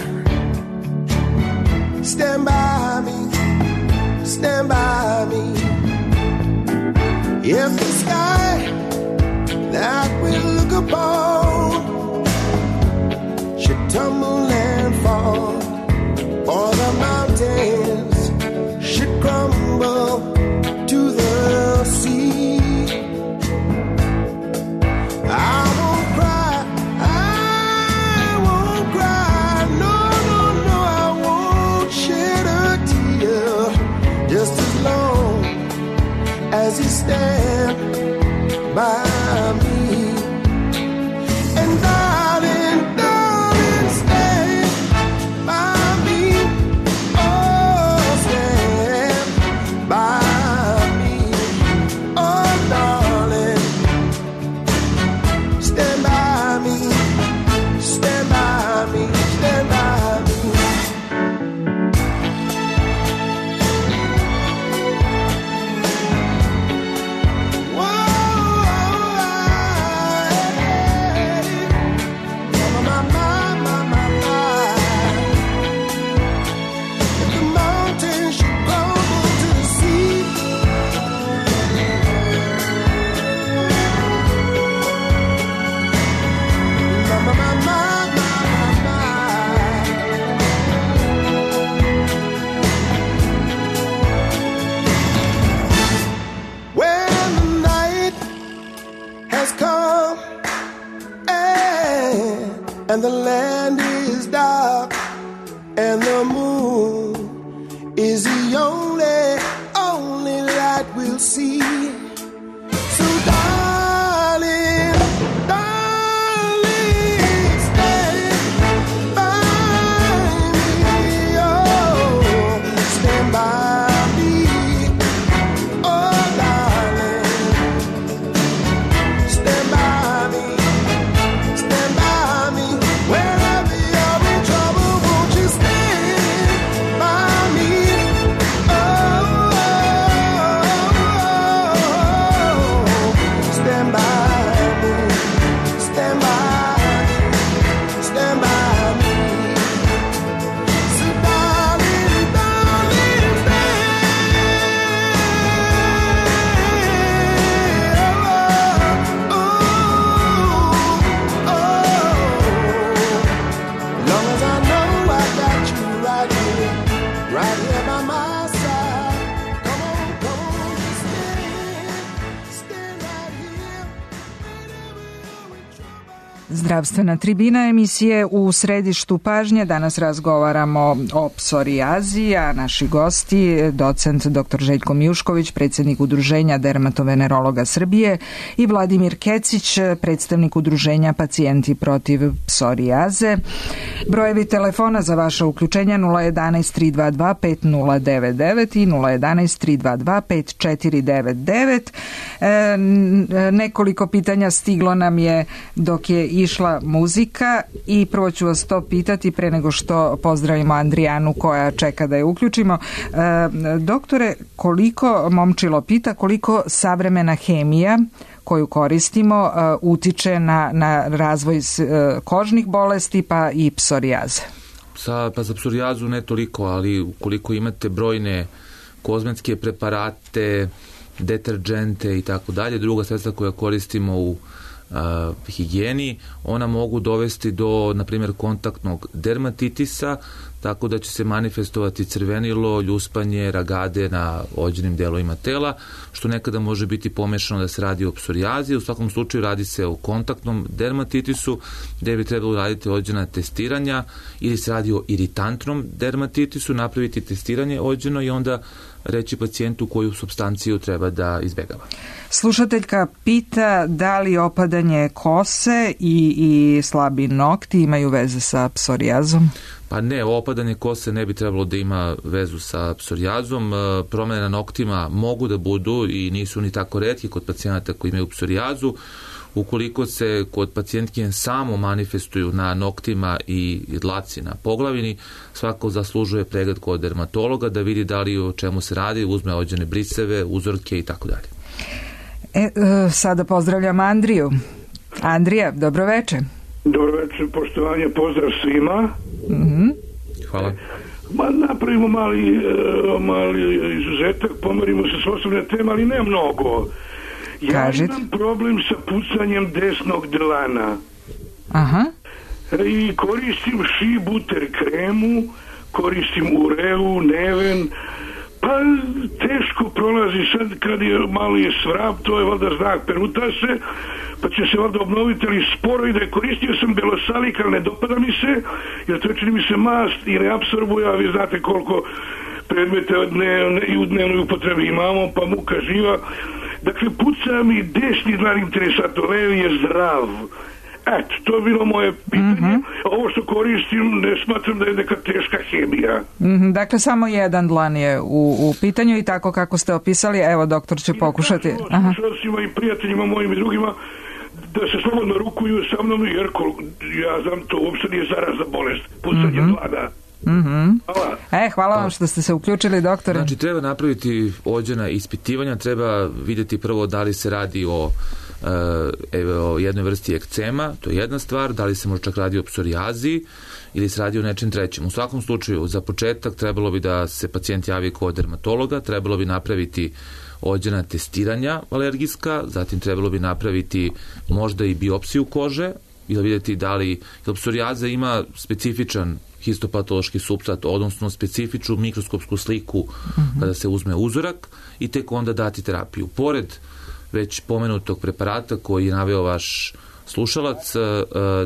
Stand by me. Stand by me. If the sky that we look upon should tumble and fall, or the mountains should crumble to the sea, I won't cry, I won't cry, no, no, no, I won't shed a tear, just as long as you stand by me. And darling, darling, stand by me. Oh, stand by me. Oh, darling, stand by me. Stand by me. Stand by me. And the land is dark, and the moon is the only, only light we'll see. So darling, darling, stand by me. Oh, stand by me. Oh, darling, stand by me. Stand by me. Wherever you're in trouble, won't you stand by me? Oh, stand by me, stand by me, stand by me. So darling, darling, stand. Oh, oh, oh. Long as I know I got you right here, right here by my side. Come on, come on, just stand, stand right here. Zdravstvena tribina emisije u središtu pažnje. Danas razgovaramo o psorijazi, a naši gosti, docent doktor Željko Mijušković, predsjednik Udruženja dermatovenerologa Srbije, i Vladimir Kecić, predstavnik Udruženja Pacijenti protiv psorijaze. Brojevi telefona za vaše uključenja nula jedanaest tri dva dva pet nula devet devet i nula jedanaest tri dva dva pet četiri devet devet. E, nekoliko pitanja stiglo nam je dok je išla muzika i prvo ću vas to pitati pre nego što pozdravimo Andrijanu koja čeka da je uključimo. E, doktore, koliko, Momčilo pita, koliko savremena hemija koju koristimo uh, utiče na, na razvoj uh, kožnih bolesti pa i psorijaze? Sa, pa za psorijazu ne toliko, ali ukoliko imate brojne kozmetske preparate, deterđente i tako dalje, druga sredstva koja koristimo u uh, higijeni, ona mogu dovesti do, na primjer, kontaktnog dermatitisa, tako da će se manifestovati crvenilo, ljuspanje, ragade na ođenim delovima tela, što nekada može biti pomešano da se radi o psorijazi. U svakom slučaju radi se o kontaktnom dermatitisu, gde bi trebalo raditi ođena testiranja, ili se radi o iritantnom dermatitisu, napraviti testiranje ođeno i onda reći pacijentu koju supstanciju treba da izbegava. Slušateljka pita da li opadanje kose i, i slabi nokti imaju veze sa psorijazom? Pa ne, opadanje kose ne bi trebalo da ima vezu sa psorijazom. Promene na noktima mogu da budu i nisu ni tako retki kod pacijenata koji imaju psorijazu. Ukoliko se kod pacijentkinje samo manifestuju na noktima i dlaci na poglavini, svako zaslužuje pregled kod dermatologa da vidi da li o čemu se radi, uzme ođene briseve, uzorke i tako dalje. E, sada pozdravljam Andriju. Andrija, dobroveče. Dobroveče, poštovanje, pozdrav svima. Mm-hmm. Hvala. Ma, napravimo mali, mali izuzetak, pomerimo se s osobne teme, ali ne mnogo. Ja Kažite. Imam problem sa pucanjem desnog dlana. Aha. I koristim Shea Butter kremu, koristim Ureu, Neven, pa teško prolazi sad kad je malo je svrab, to je valjda znak, peruta se, pa će se valjda obnoviti, ali sporo ide. Koristio sam Belosalik, ali ne dopada mi se, jer to je, čini mi se, mast i ne apsorbuje, a vi znate koliko predmete dnevne, i u dnevnoj upotrebi imamo, pa muka živa. Dakle, puca mi desni dlan interesantno, levi je zdrav. Eto, to je bilo moje pitanje. Mm-hmm. Ovo što koristim ne smatram da je neka teška hemija. Mm-hmm. Dakle, samo jedan dlan je u, u pitanju i tako kako ste opisali, evo, doktor će I pokušati. Aha. I prijateljima mojim i drugima da se slobodno rukuju sa mnom, jer ja znam, to uopšte nije zarazna bolest, pucanje mm-hmm. dlana. Mm-hmm. Hvala. E, hvala vam što ste se uključili, doktore. Znači, treba napraviti ođena ispitivanja, treba vidjeti prvo da li se radi o, e, o jednoj vrsti ekcema, to je jedna stvar, da li se možda čak radi o psorijazi ili se radi o nečem trećem. U svakom slučaju, za početak trebalo bi da se pacijent javi kod dermatologa, trebalo bi napraviti ođena testiranja alergijska, zatim trebalo bi napraviti možda i biopsiju kože, ili vidjeti da li, jer psorijaza ima specifičan histopatološki supstrat, odnosno specifičnu mikroskopsku sliku mm-hmm. kada se uzme uzorak i tek onda dati terapiju. Pored već pomenutog preparata koji je naveo vaš slušalac,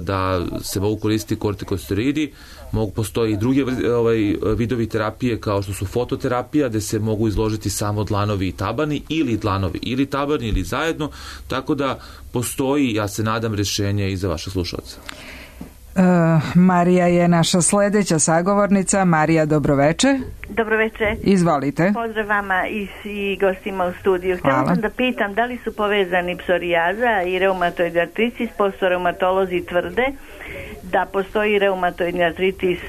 da se mogu koristiti kortikosteroidi, mogu postoji i druge ovaj, vidovi terapije kao što su fototerapija, gde se mogu izložiti samo dlanovi i tabani, ili dlanovi ili tabani, ili zajedno, tako da postoji, ja se nadam, rješenje i za vaše slušalce. Uh, Marija je naša sledeća sagovornica. Marija, dobroveče. Dobroveče. Izvolite. Pozdrav vama i, i gostima u studiju. Htjela sam da pitam da li su povezani psorijaza i reumatoidni artritis, pošto reumatolozi tvrde da postoji reumatoidni artritis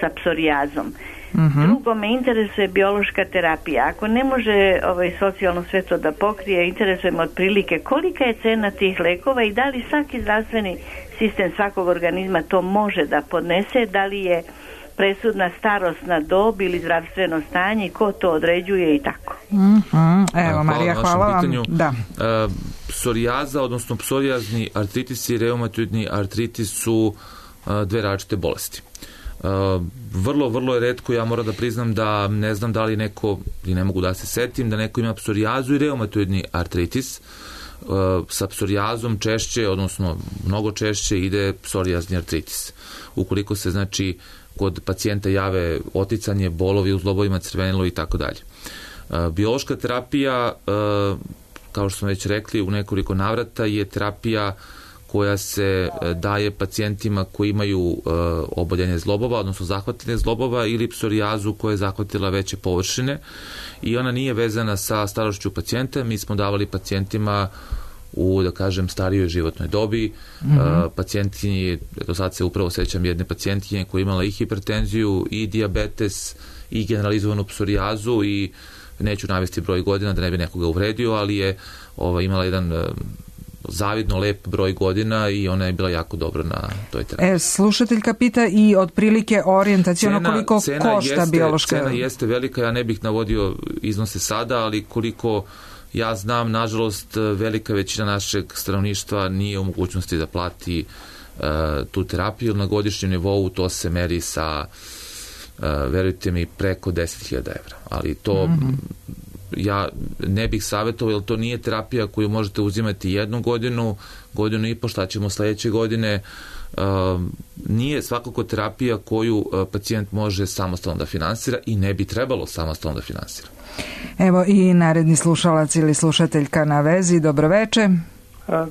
sa psorijazom. Mm-hmm. Drugo, me interesuje biološka terapija. Ako ne može ovaj, socijalno sve to da pokrije, interesuje me otprilike kolika je cena tih lekova i da li svaki zdravstveni sistem svakog organizma to može da podnese, da li je presudna starosna dob ili zdravstveno stanje, ko to određuje i tako. Mm-hmm. Evo, Marija, hvala, hvala vam. Pitanju. Da. Uh, psorijaza, odnosno psorijazni artritis i reumatoidni artritis su uh, dve različite bolesti. Uh, vrlo, vrlo je retko, ja moram da priznam da ne znam da li neko, i ne mogu da se setim, da neko ima psorijazu i reumatoidni artritis. Uh, sa psorijazom češće, odnosno mnogo češće ide psorijazni artritis. Ukoliko se, znači, kod pacijenta jave oticanje, bolovi u zglobovima, crvenilo i tako dalje. Uh, biološka terapija, uh, kao što smo već rekli, u nekoliko navrata je terapija koja se daje pacijentima koji imaju uh, oboljenje zglobova, odnosno zahvatine zglobova ili psorijazu koja je zahvatila veće površine i ona nije vezana sa starošću pacijenta. Mi smo davali pacijentima u, da kažem, starijoj životnoj dobi. Mm-hmm. Uh, pacijentkinji, do sad se upravo sećam jedne pacijentkinje koja je imala i hipertenziju, i dijabetes, i generalizovanu psorijazu, i neću navesti broj godina da ne bi nekoga uvredio, ali je ova, imala jedan uh, zavidno lep broj godina i ona je bila jako dobra na toj terapiji. E, slušateljka pita i otprilike orijentacijono koliko cena košta jeste, biološka... Cena jeste velika, ja ne bih navodio iznose sada, ali koliko ja znam, nažalost, velika većina našeg stanovništva nije u mogućnosti da plati uh, tu terapiju. Na godišnjem nivou to se meri sa, uh, verujte mi, preko deset hiljada evra. Ali to... Mm-hmm. Ja ne bih savjetovao, jer to nije terapija koju možete uzimati jednu godinu, godinu i po, šta ćemo sledeće godine. Uh, nije svakako terapija koju uh, pacijent može samostalno da finansira i ne bi trebalo samostalno da finansira. Evo i naredni slušalac ili slušateljka na vezi. Dobroveče.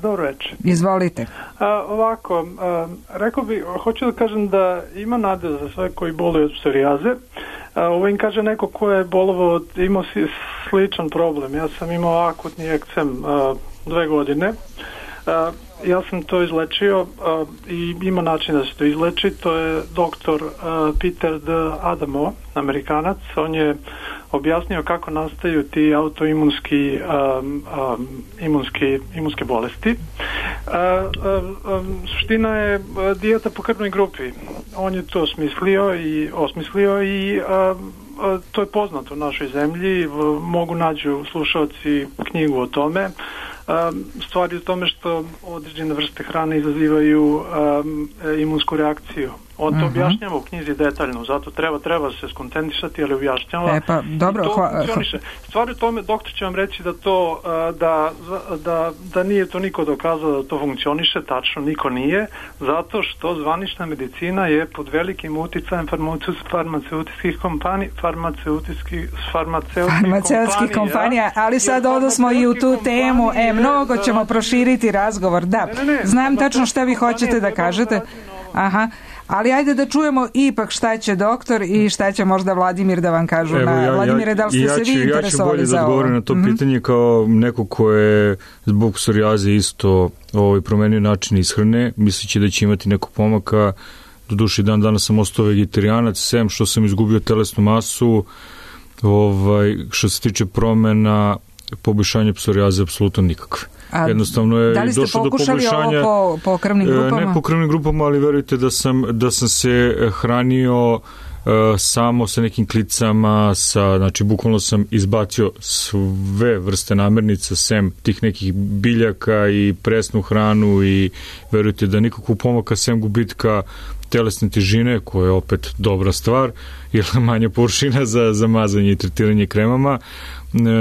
Dobro večer. Izvolite. A, ovako, a, rekao bi, hoću da kažem da ima nade za sve koji boluju od psorijaze. A, ovo im kaže neko ko je bolovao, imao si sličan problem. Ja sam imao akutni ekcem a, dve godine. A, ja sam to izlečio a, i ima način da se to izleči. To je doktor a, Peter D. Adamo, Amerikanac. On je objasnio kako nastaju ti autoimunski um, um, imunski, imunske bolesti. Uh, uh, um, suština je dijeta po krvnoj grupi. On je to smislio i osmislio i uh, uh, to je poznato u našoj zemlji. Uh, mogu nađu slušalci knjigu o tome. Um, stvar je u tome što određene vrste hrane izazivaju um, imunsku reakciju. On to uh-huh. objašnjava u knjizi detaljno, zato treba treba se skontentisati, ali objašnjava. E pa, dobro, i to hva... funkcioniše. Stvar je u tome, doktor će vam reći da to da, da, da nije to niko dokazao da to funkcioniše, tačno niko nije, zato što zvanična medicina je pod velikim uticajem farmaceutskih kompanija, farmaceutskih farmaceutskih, farmaceutskih kompanija, ali sad odosmo i u tu temu, e, mnogo ćemo proširiti razgovor, da. Ne, ne, ne, Znam tačno šta vi hoćete da kažete. Aha. Ali ajde da čujemo ipak šta će doktor i šta će možda Vladimir da vam kažu. Evo, na ja, Vladimire, da li ste ja, se ću, vi interesovali za ovo? Ja ću bolje da odgovorim na to mm-hmm. pitanje kao neko ko je zbog psorijaze isto ovaj, promenio način ishrane, misleći da će imati nekog pomaka. Do duše dan danas sam ostao vegetarijanac, sem što sam izgubio telesnu masu, ovaj, što se tiče promena, poboljšanja psorijaze, apsolutno nikakve. A jednostavno je da li ste došlo do pokušali poboljšanja, ovo po, po krvnim grupama? Ne po krvnim grupama, ali verujte da sam, da sam se hranio uh, samo sa nekim klicama, sa, znači bukvalno sam izbacio sve vrste namirnica, sem tih nekih biljaka i presnu hranu i verujte da nikakvu pomaka sem gubitka telesne težine, koja je opet dobra stvar, jer manja površina za, za mazanje i tretiranje kremama,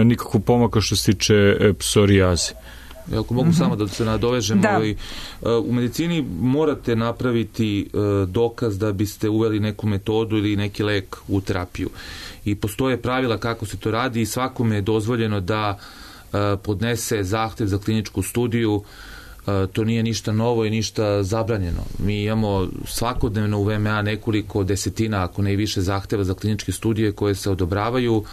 nikakvu pomaka što se tiče psorijaze. Ako mogu mm-hmm. samo da se nadovežem, da. Ovaj, u medicini morate napraviti uh, dokaz da biste uveli neku metodu ili neki lek u terapiju. I postoje pravila kako se to radi i svakome je dozvoljeno da uh, podnese zahtev za kliničku studiju. Uh, to nije ništa novo i ništa zabranjeno. Mi imamo svakodnevno u V M A nekoliko desetina, ako ne i više, zahteva za kliničke studije koje se odobravaju.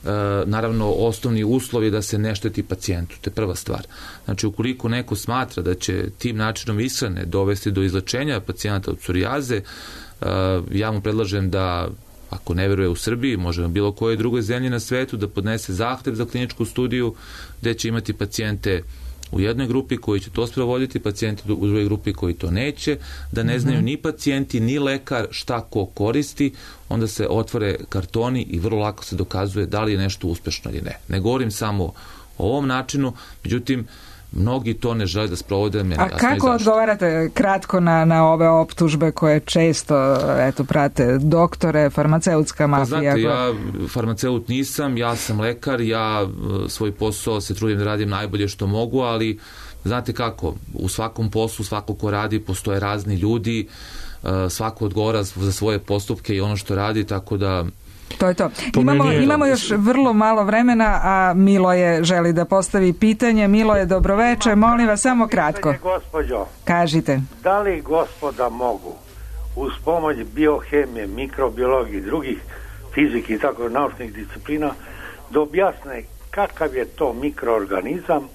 E, naravno, osnovni uslov je da se ne šteti pacijentu, to je prva stvar. Znači, ukoliko neko smatra da će tim načinom ishrane dovesti do izlečenja pacijenta od psorijaze, e, ja mu predlažem da, ako ne veruje u Srbiji, može na bilo kojoj drugoj zemlji na svetu, da podnese zahtev za kliničku studiju, gde će imati pacijente u jednoj grupi koji će to sprovoditi, pacijenti u drugoj grupi koji to neće, da ne znaju ni pacijenti, ni lekar šta ko koristi, onda se otvore kartoni i vrlo lako se dokazuje da li je nešto uspešno ili ne. Ne govorim samo o ovom načinu, međutim, mnogi to ne žele da sprovode. A kako odgovarate kratko na, na ove optužbe koje često eto, prate doktore, farmaceutska mafija? Pa znate, ja farmaceut nisam, ja sam lekar, ja svoj posao se trudim da radim najbolje što mogu, ali znate kako, u svakom poslu, svako ko radi, postoje razni ljudi, svako odgovara za svoje postupke i ono što radi, tako da... To je to. Imamo, imamo još vrlo malo vremena, a Miloje želi da postavi pitanje. Miloje, dobroveče, molim vas samo kratko. Gospođo, kažite. Da li gospoda mogu uz pomoć biohemije, mikrobiologije i drugih fizike i tako naučnih disciplina da objasne kakav je to mikroorganizam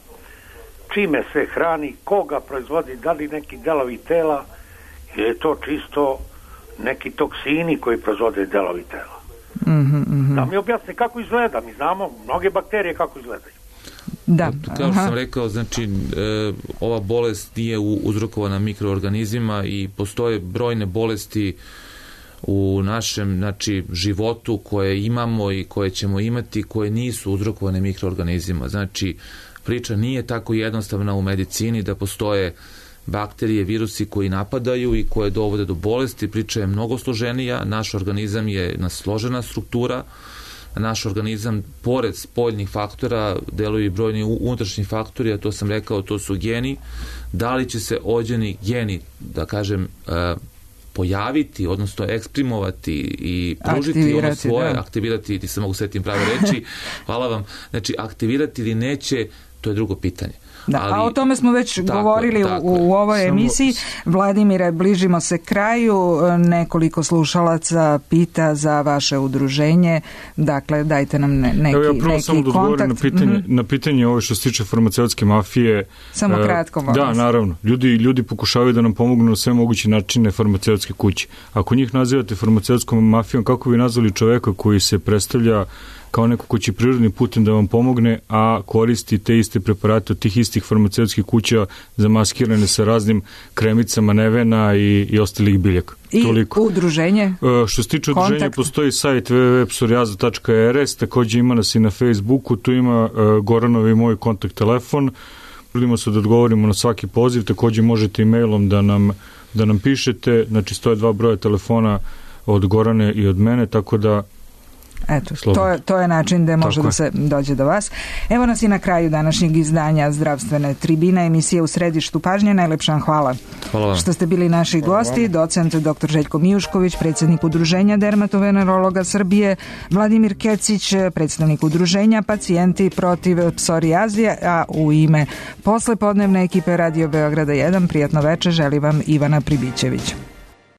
čime se hrani, koga proizvodi, da li neki delovi tela, ili je to čisto neki toksini koji proizvode delovi tela. Mm-hmm, mm-hmm. Da mi objasni kako izgleda, mi znamo mnoge bakterije kako izgledaju. Da. Kao što sam rekao, znači e, ova bolest nije uzrokovana mikroorganizmima i postoje brojne bolesti u našem, znači, životu koje imamo i koje ćemo imati, koje nisu uzrokovane mikroorganizmima. Znači, priča nije tako jednostavna u medicini da postoje bakterije, virusi koji napadaju i koje dovode do bolesti. Priča je mnogo složenija, naš organizam je jedna složena struktura, naš organizam, pored spoljnih faktora, deluju i brojni unutrašnji faktori, a to sam rekao, to su geni. Da li će se ođeni geni, da kažem, pojaviti, odnosno eksprimovati i pružiti ono svoje, da. aktivirati, ti se mogu svetim prave reči, hvala vam, znači aktivirati ili neće, to je drugo pitanje. Da, ali, a o tome smo već tako, govorili tako u, u ovoj Samo... emisiji. Vladimire, bližimo se kraju, nekoliko slušalaca pita za vaše udruženje, dakle dajte nam ne, neki, Evo ja prvo neki samo da odgovorim na pitanje, mm-hmm. na pitanje ovo što se tiče farmaceutske mafije. Samo kratko, molim. Da, naravno. Ljudi, ljudi pokušavaju da nam pomognu na sve moguće načine farmaceutske kuće. Ako njih nazivate farmaceutskom mafijom, kako bi nazvali čoveka koji se predstavlja kao neko ko će prirodnim putem da vam pomogne, a koristi te iste preparate od tih istih farmaceutskih kuća zamaskirane sa raznim kremicama nevena i, i ostalih biljaka. I Toliko. udruženje? E, što se tiče Kontakt. udruženja, postoji sajt w w w tačka psorijaza tačka r s, takođe ima nas i na Facebooku, tu ima e, Goranov i moj kontakt telefon. Želimo se da odgovorimo na svaki poziv, takođe možete i mailom da nam, da nam pišete, znači stoje dva broja telefona od Gorane i od mene, tako da Eto, to je, to je način da može Tako da se dođe do vas. Evo nas i na kraju današnjeg izdanja Zdravstvene tribine, emisije U središtu pažnje. Najlepša vam hvala. Hvala vam. Što ste bili naši Hvala gosti, vam. docent doktor Željko Mijušković, predsjednik Udruženja dermatovenerologa Srbije, Vladimir Kecić, predstavnik Udruženja Pacijenti protiv psorijazije, a u ime poslepodnevne ekipe Radio Beograda jedan, prijatno veče želi vam Ivana Pribićević.